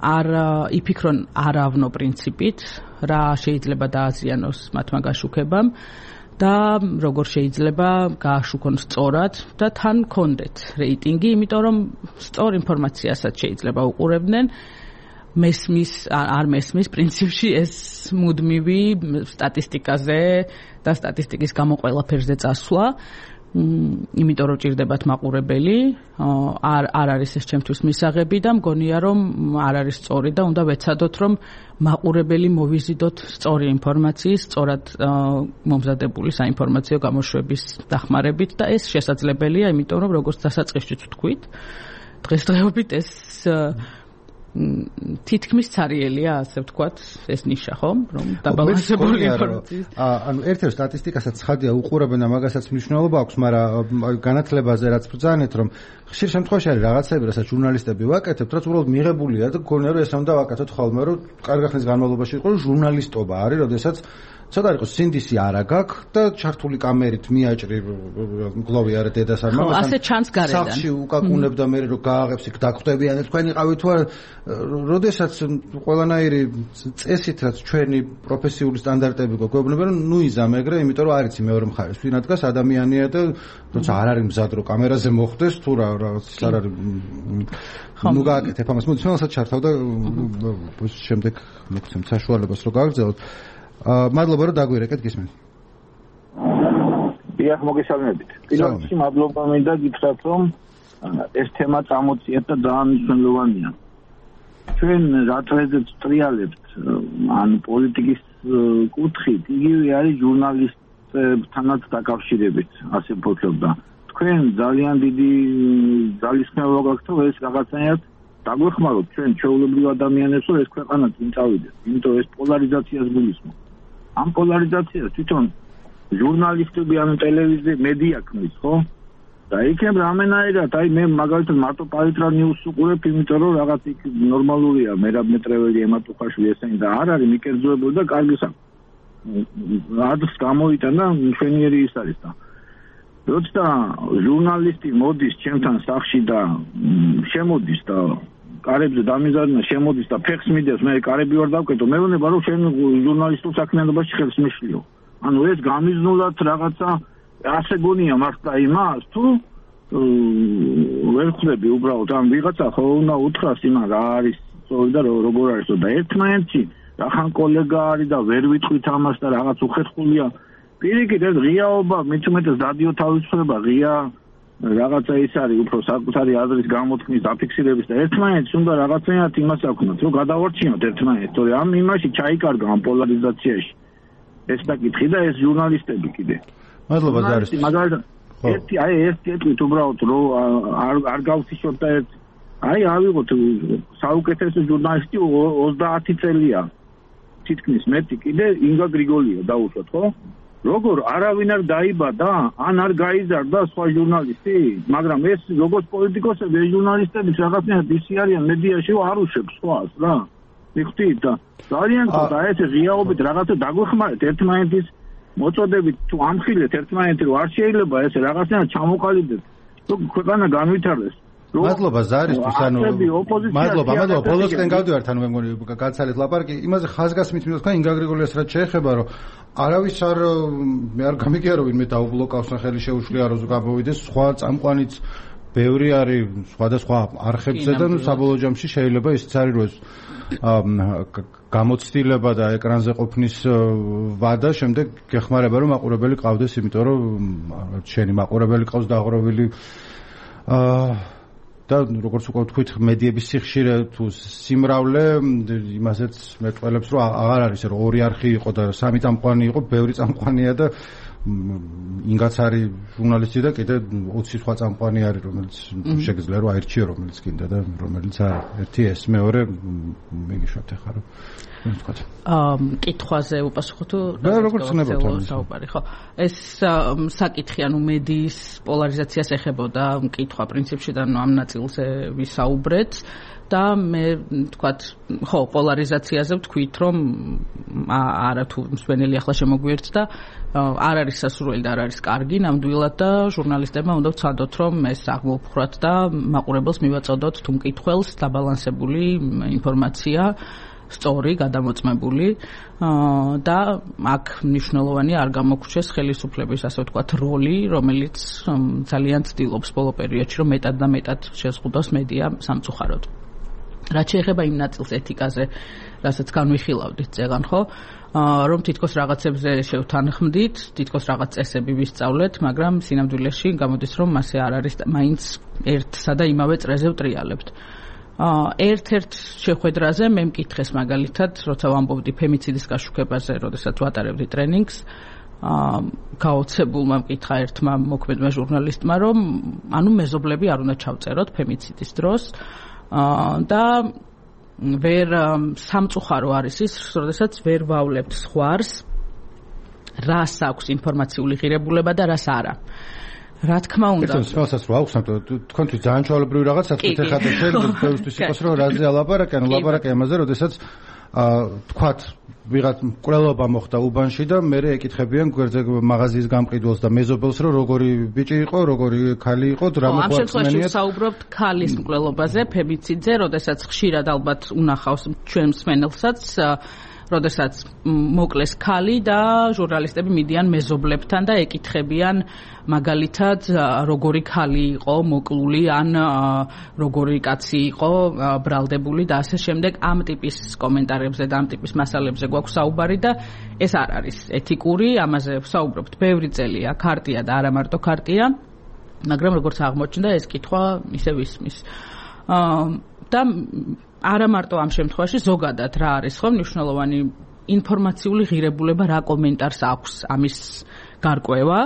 არ იფიქრონ არავნო პრინციპით, რა შეიძლება დააზიანოს მათმა გაშუქებამ და როგორ შეიძლება გააშუქონ სწორად და თან კონდეთ რეიტინგი, იმიტომ რომ სწორ ინფორმაციასაც შეიძლება უყურებდნენ. მესმის არ მესმის პრინციპში ეს მუდმივი სტატისტიკაზე და სტატისტიკის გამო ყველაფერზე წასვლა, იმიტომ რომ ჭირდებათ მაყურებელი, არ არ არის ეს ჩემთვის მისაღები და მგონია რომ არ არის სწორი და უნდა ვეცადოთ რომ მაყურებელი მოვიზიდოთ სწორი ინფორმაციის, სწორად მომზადებული საინფორმაციო გამოშვების დახმარებით და ეს შესაძლებელია, იმიტომ რომ როგორც დასაწყისშიც ვთქვით, დღესდღეობით ეს თითქმის ცარიელია, ასე ვთქვათ, ეს ნიშა, ხო? რომ დაბალანსებული ინფორმაციის. ანუ ერთ-ერთ სტატისტიკასაც ცხადია უყურებენ და მაგასაც მნიშვნელობა აქვს, მაგრამ განათლებაზე რაც ბრძანეთ, რომ ხშირ შემთხვევაში არის რაღაცები, რასაც ჟურნალისტები ვაკეთებთ, რაც უბრალოდ მიღებულია და გქონია რომ ეს უნდა ვაკეთოთ ხოლმე, რომ კარგი ხნის განმავლობაში იყო, რომ ჟურნალისტობა არის, როდესაც ცოტა იყოს სინდისი არა გაქვს და ჩართული კამერით მიაჭრი მგლოვი არა დედას არ მამას. ასე ჩანს გარედან. სახში უკაკუნებ და მე რო გააღებს იქ დაგხვდებიან თქვენ იყავით თუ არა, როდესაც ყველანაირი წესით რაც ჩვენი პროფესიული სტანდარტები გვეუბნება რომ ნუ იზამე ეგრე, იმიტომ რომ არიცი მეორე მხარეს ვინ ადგას ადამიანია და როცა არ არის მზად რო კამერაზე მოხდეს თუ რა რაღაც არ არის ნუ გააკეთებ ამას. მოდი ჩვენსაც ჩართავ და შემდეგ მოგცემთ საშუალებას რომ გავგრძელოთ. მადლობა რომ დაგვირეკეთ, გისმენთ. დიახ, მოგესალმებით. პირველში მადლობა მინდა გითხრათ, რომ ეს თემა წამოწიეთ და ძალიან მნიშვნელოვანია. ჩვენ რატოებთ ტრიალებთ ან პოლიტიკის კუთხით, იგივე არის ჟურნალისტებთანაც დაკავშირებით, ასე ვფიქრობ და თქვენ ძალიან დიდი ძალისხმევა გაქვთ, რომ ეს რაღაცნაირად დაგვეხმაროთ ჩვენ ჩვეულებრივ ადამიანებს, რომ ეს ქვეყანა წინ წავიდეს. იმიტომ ეს პოლარიზაციას გულისხმობს. ამ პოლარიზაციას თვითონ ჟურნალისტები ან ტელევიზია მედია ქმნის, ხო? და იქნებ რამენაირად, აი მე მაგალითად მარტო პალიტრა ნიუს უყურებ, იმიტომ რომ რაღაც იქ ნორმალურია, მერაბ მეტრეველი, ემატუხაშვილი ესენი და არ არის მიკერძოებული და კარგი საქმე. ადრს გამოიტანა მშვენიერი ის არის და როცა ჟურნალისტი მოდის ჩემთან სახლში და შემოდის და კარებზე დამიზარნა შემოდის და ფეხს მიდევს, მე კარები ვარ დავკეტო, მე ვნება რომ შენ ჟურნალისტურ საქმიანობაში ხელს მიშლიო. ანუ ეს გამიზნულად რაღაცა ასე გონია მართლა იმას თუ ვერ ხვდები უბრალოდ ამ ვიღაცა ხო უნდა უთხრას იმან რა არის სწორი და როგორ არის და ერთმანეთში რახან კოლეგა არის და ვერ ვიტყვით ამას და რაღაც უხერხულია პირიქით ეს ღიაობა მით უმეტეს რადიო თავისუფლება ღია რაღაცა ის არის უფრო საკუთარი აზრის გამოთქმის დაფიქსირების და ერთმანეთს უნდა რაღაცნაირად იმას აქვთ რომ გადავარჩინოთ ერთმანეთს თორე ამ იმაში ჩაიკარგა ამ პოლარიზაციაში ეს დაკითხი და ეს ჟურნალისტები კიდე მადლობა ზარის მაგალითად ერთი აი ეს კეთილით უბრალოდ რომ არ არ გავსიშოთ და ერთ აი ავიღოთ საუკეთესო ჟურნალისტი ოცდაათი წელია თითქმის მეტი კიდე ინგა გრიგოლია დაუშვათ ხო როგორ არავინ არ დაიბადა ან არ გაიზარდა სხვა ჟურნალისტი მაგრამ ეს როგორც პოლიტიკოსები ეს ჟურნალისტები რაღაცნაირად ისი არიან მედიაში არ უშვებს სხვას რა მიხდით და ძალიან ცოტა ეს ღიაობით რაღაცა დაგვეხმარეთ ერთმანეთის მოწოდებით თუ ამხილეთ ერთმანეთი რომ არ შეიძლება ეს რაღაცნაირად ჩამოყალიბდეს რომ ქვეყანა განვითარდეს მადლობა ზარისთვის ანუ მადლობა მადლობა ბოლოსკენ გავდივართ ანუ მე მგონი გაცალეთ ლაპარაკი იმაზე ხაზგასმით მინდა თქვა ინგა გრიგოლიას რაც შეეხება რომ არავის არ მე არ გამიგია რომ ვინმე დაუბლოკავს ხელი შეუშლია რომ გამოვიდეს სხვა წამყვანიც ბევრი არის სხვადასხვა არხებზე და ნუ საბოლოო ჯამში შეიძლება ისიც არის რომ ეს გამოცდილება და ეკრანზე ყოფნის ვადა შემდეგ გეხმარება რომ მაყურებელი ყავდეს იმიტომ რომ შენი მაყურებელი ყავს დაღროვილი აა და როგორც უკვე ვთქვით მედიების სიხშირე თუ სიმრავლე იმასაც მეტყველებს რომ აღარ არის რომ ორი არხი იყო და სამი წამყვანი იყო ბევრი წამყვანია და ინგაც არის ჟურნალისტი და კიდე ოცი სხვა წამყვანი არის რომელიც შეგიძლია რომ აირჩიო რომელიც კიდე და რომელიც არის ერთი ეს მეორე მიგიშვათ ახლა რომ ვთქვათ აა კითხვაზე უპასუხო თუ როგორც ცნობთ საუბარი ხო ეს საკითხი ანუ მედიის პოლარიზაციას ეხებოდა კითხვა პრინციპში და ამ ნაწილზე ვისაუბრეთ და მე ვთქვათ ხო პოლარიზაციაზე ვთქვით რომ არა თუ მსვენელი ახლა შემოგვიერთდა არ არის სასურველი და არ არის კარგი ნამდვილად და ჟურნალისტებმა უნდა ვცადოთ რომ ეს აღმოფხვრათ და მაყურებელს მივაწოდოთ თუ მკითხველს დაბალანსებული ინფორმაცია სწორი, გადამოწმებული და აქ მნიშვნელოვანი არ გამოგვჩეს ხელისუფლების ასე ვთქვათ როლი, რომელიც ძალიან ცდილობს ბოლო პერიოდში რომ მეტად და მეტად შეზღუდოს მედია სამწუხაროდ. რაც შეეხება იმ ნაწილს ეთიკაზე, რასაც განვიხილავდით წეგან ხო, რომ თითქოს რაღაცებზე შევთანხმდით, თითქოს რაღაც წესები ვისწავლეთ, მაგრამ სინამდვილეში გამოდის რომ მასე არ არის მაინც ერთსა და იმავე წრეზე ვტრიალებთ. ერთ-ერთ შეხვედრაზე მე მკითხეს მაგალითად, როცა ვამბობდი ფემიციდის გაშუქებაზე, როდესაც ვატარებდი ტრენინგს, გაოცებულმა მკითხა ერთმა მოქმედმა ჟურნალისტმა, რომ ანუ მეზობლები არ უნდა ჩავწეროთ ფემიციდის დროს და ვერ სამწუხარო არის ის, როდესაც ვერ ვავლებთ სხვას, რას აქვს ინფორმაციული ღირებულება და რას არა. რა თქმა უნდა. ეს თვალსაც რო აქვს, თქვენთვის ძალიან ჩვეულებრივი რაღაცა თქვით ახლა და შეიძლება ბევრისთვის იყოს რომ რაზე ალაპარაკი, ანუ ლაპარაკი ამაზე, როდესაც თქვათ ვიღაც მკვლელობა მოხდა უბანში და მე ეკითხებიან გვერდზე მაღაზიის გამყიდველს და მეზობელს რომ როგორი ბიჭი იყო, როგორი ქალი იყო, რა მოხდა. ამ შემთხვევაში ვსაუბრობთ ქალის მკვლელობაზე, ფემიციძე, როდესაც ხშირად ალბათ უნახავს ჩვენ მსმენელსაც როდესაც მოკლეს ქალი და ჟურნალისტები მიდიან მეზობლებთან და ეკითხებიან მაგალითად როგორი ქალი იყო მოკლული ან როგორი კაცი იყო ბრალდებული და ასე შემდეგ ამ ტიპის კომენტარებზე და ამ ტიპის მასალებზე გვაქვს საუბარი და ეს არ არის ეთიკური, ამაზე ვსაუბრობთ ბევრი წელია, ქარტია და არა მარტო ქარტია, მაგრამ როგორც აღმოჩნდა ეს კითხვა ისევ ისმის. და არა მარტო ამ შემთხვევაში ზოგადად რა არის ხო მნიშვნელოვანი ინფორმაციული ღირებულება რა კომენტარს აქვს ამის გარკვევა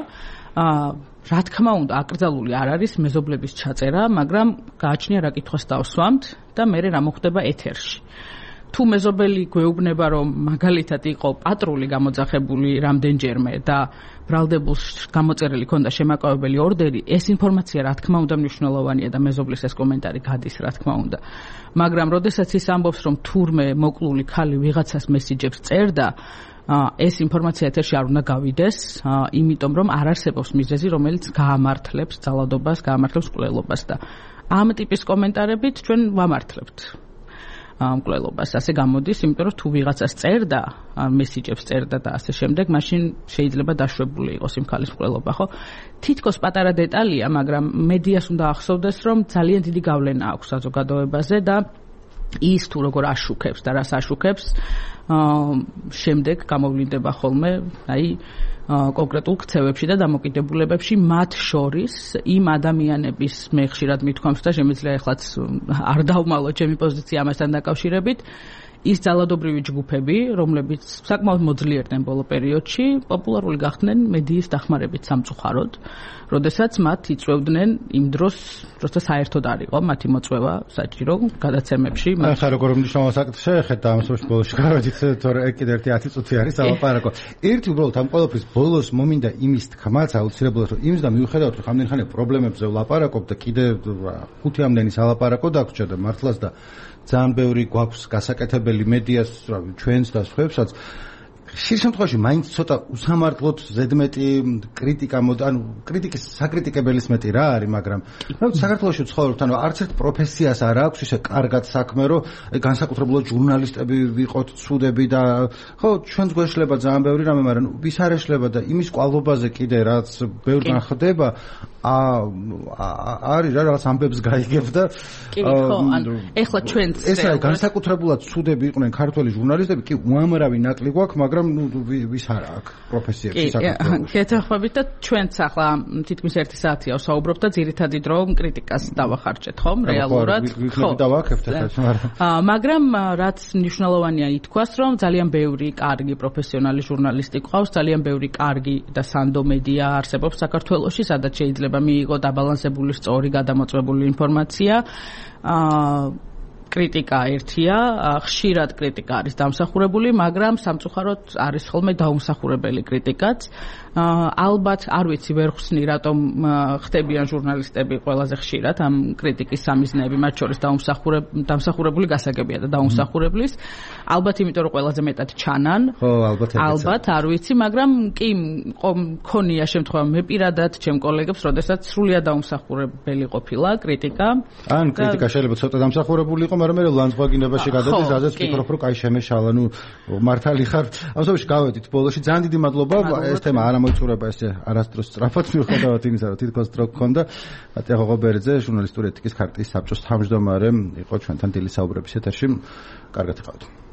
რა თქმა უნდა აკრძალული არ არის მეზობლების ჩაწერა მაგრამ გააჩნია რა კითხვას დავსვამთ და მე რა მოხდება ეთერში თუ მეზობელი გვეუბნება რომ მაგალითად იყო პატრული გამოძახებული რამდენჯერმე და ბრალდებულს გამოწერილი ქონდა შემაკავებელი ორდერი ეს ინფორმაცია რა თქმა უნდა მნიშვნელოვანია და მეზობლის ეს კომენტარი გადის რა თქმა უნდა მაგრამ როდესაც ის ამბობს რომ თურმე მოკლული ქალი ვიღაცას მესიჯებს წერდა ეს ინფორმაცია ეთერში არ უნდა გავიდეს, იმიტომ რომ არ არსებობს მიზეზი, რომელიც გაამართლებს ძალადობას, გაამართლებს მკვლელობას და ამ ტიპის კომენტარებით ჩვენ ვამართლებთ მკვლელობას. ასე გამოდის, იმიტომ რომ თუ ვიღაცას წერდა, მესიჯებს წერდა და ასე შემდეგ, მაშინ შეიძლება დაშვებული იყოს იმ ქალის მკვლელობა, ხო? თითქოს პატარა დეტალია, მაგრამ მედიას უნდა ახსოვდეს, რომ ძალიან დიდი გავლენა აქვს საზოგადოებაზე და ის თუ როგორ აშუქებს და რას აშუქებს, შემდეგ გამოვლინდება ხოლმე, აი კონკრეტულ ქცევებში და დამოკიდებულებებში, მათ შორის იმ ადამიანების მე ხშირად მithქვამს და შემიძლია ეხლაც არ დავმალო ჩემი პოზიცია ამასთან დაკავშირებით, ის ძალადობრივი ჯგუფები, რომლებიც საკმაოდ მოძლიერდნენ ბოლო პერიოდში, პოპულარული გახდნენ მედიის დახმარებით სამწუხაროდ, როდესაც მათ იწვევდნენ იმ დროს, როცა საერთოდ არ იყო მათი მოწვევა საჭირო გადაცემებში. ახლა როგორ მნიშვნელოვან საკითხს შეეხეთ და ამ სოფლის ბოლოში გავედით, თორე კიდევ ერთი ათი წუთი არის ალაპარაკო. ერთი უბრალოდ ამ ყველაფრის ბოლოს მომინდა იმის თქმაც აუცილებლად, რომ იმის და მიუხედავად რომ ამდენ ხანი პრობლემებზე ვლაპარაკობ და კიდევ ხუთი ამდენის ალაპარაკო დაგვრჩა და მართლაც და ძალიან ბევრი გვაქვს გასაკეთებელი მედიას, ჩვენს და სხვებსაც. ხშირ შემთხვევაში მაინც ცოტა უსამართლოდ ზედმეტი კრიტიკა, ანუ კრიტიკის საკრიტიკებელის მეტი რა არის, მაგრამ საქართველოში ვცხოვრობთ, ანუ არც ერთ პროფესიას არ აქვს ისე კარგად საქმე, რომ განსაკუთრებულად ჟურნალისტები ვიყოთ, ცუდები და ხო, ჩვენს გვეშლება ძალიან ბევრი რამე, მაგრამ ვის არ ეშლება და იმის კვალობაზე კიდე რაც ბევრგან ხდება, არის რა რაღაც ამბებს გაიგებ და კი ხო, ანუ ეხლა ჩვენც ეს არის განსაკუთრებულად ცუდები იყვნენ ქართველი ჟურნალისტები, კი უამრავი ნაკლი გვაქვს, მაგრამ ნუ ვის არ აქვს პროფესიებში საქართველოში. გეთახმებით და ჩვენც ახლა თითქმის ერთი საათია ვსაუბრობ და ძირითადი დრო კრიტიკას დავახარჯეთ, ხომ, რეალურად? ხო, დავაკეთეთ ეს, მაგრამ მაგრამ რაც მნიშვნელოვანია ითქვას, რომ ძალიან ბევრი კარგი პროფესიონალი ჟურნალისტი ყავს, ძალიან ბევრი კარგი და სანდო მედია არსებობს საქართველოში, სადაც შეიძლება მიიღო დაბალანსებული, სწორი, გადამოწმებული ინფორმაცია. აა კრიტიკა ერთია, ხშირად კრიტიკა არის დამსახურებული, მაგრამ სამწუხაროდ არის ხოლმე დაუმსახურებელი კრიტიკაც. ალბათ არ ვიცი ვერ ხსნი რატომ ხდებიან ჟურნალისტები ყველაზე ხშირად ამ კრიტიკის სამიზნეები, მათ შორის დამსახურებული გასაგებია და დაუმსახურებლის. ალბათ იმიტომ რომ ყველაზე მეტად ჩანან. ხო, ალბათ ეგეც. ალბათ არ ვიცი, მაგრამ კი მქონია შემთხვევა მე პირადად ჩემ კოლეგებს, როდესაც სრულიად დაუმსახურებელი ყოფილა კრიტიკა. ან კრიტიკა შეიძლება ცოტა დამსახურებული იყო, მაგრამ მე ლანძღვაგინებაში გადადის, რაზეც ვფიქრობ, რომ კაი შემეშალა, ნუ მართალი ხარ. ამ შემთხვევაში გავედით ბოლოში. ძალიან დიდი მადლობა. ეს თემა არ ამოიწურება ესე არასდროს სწრაფად მიუხედავად იმისა, რომ თითქოს დრო გქონდა. ატია ღობერიძე, ჟურნალისტური ეთიკის ქარტიის საბჭოს თავმჯდომარე იყო ჩვენთან დილის საუბრების ეთერში. კარგად იყავით.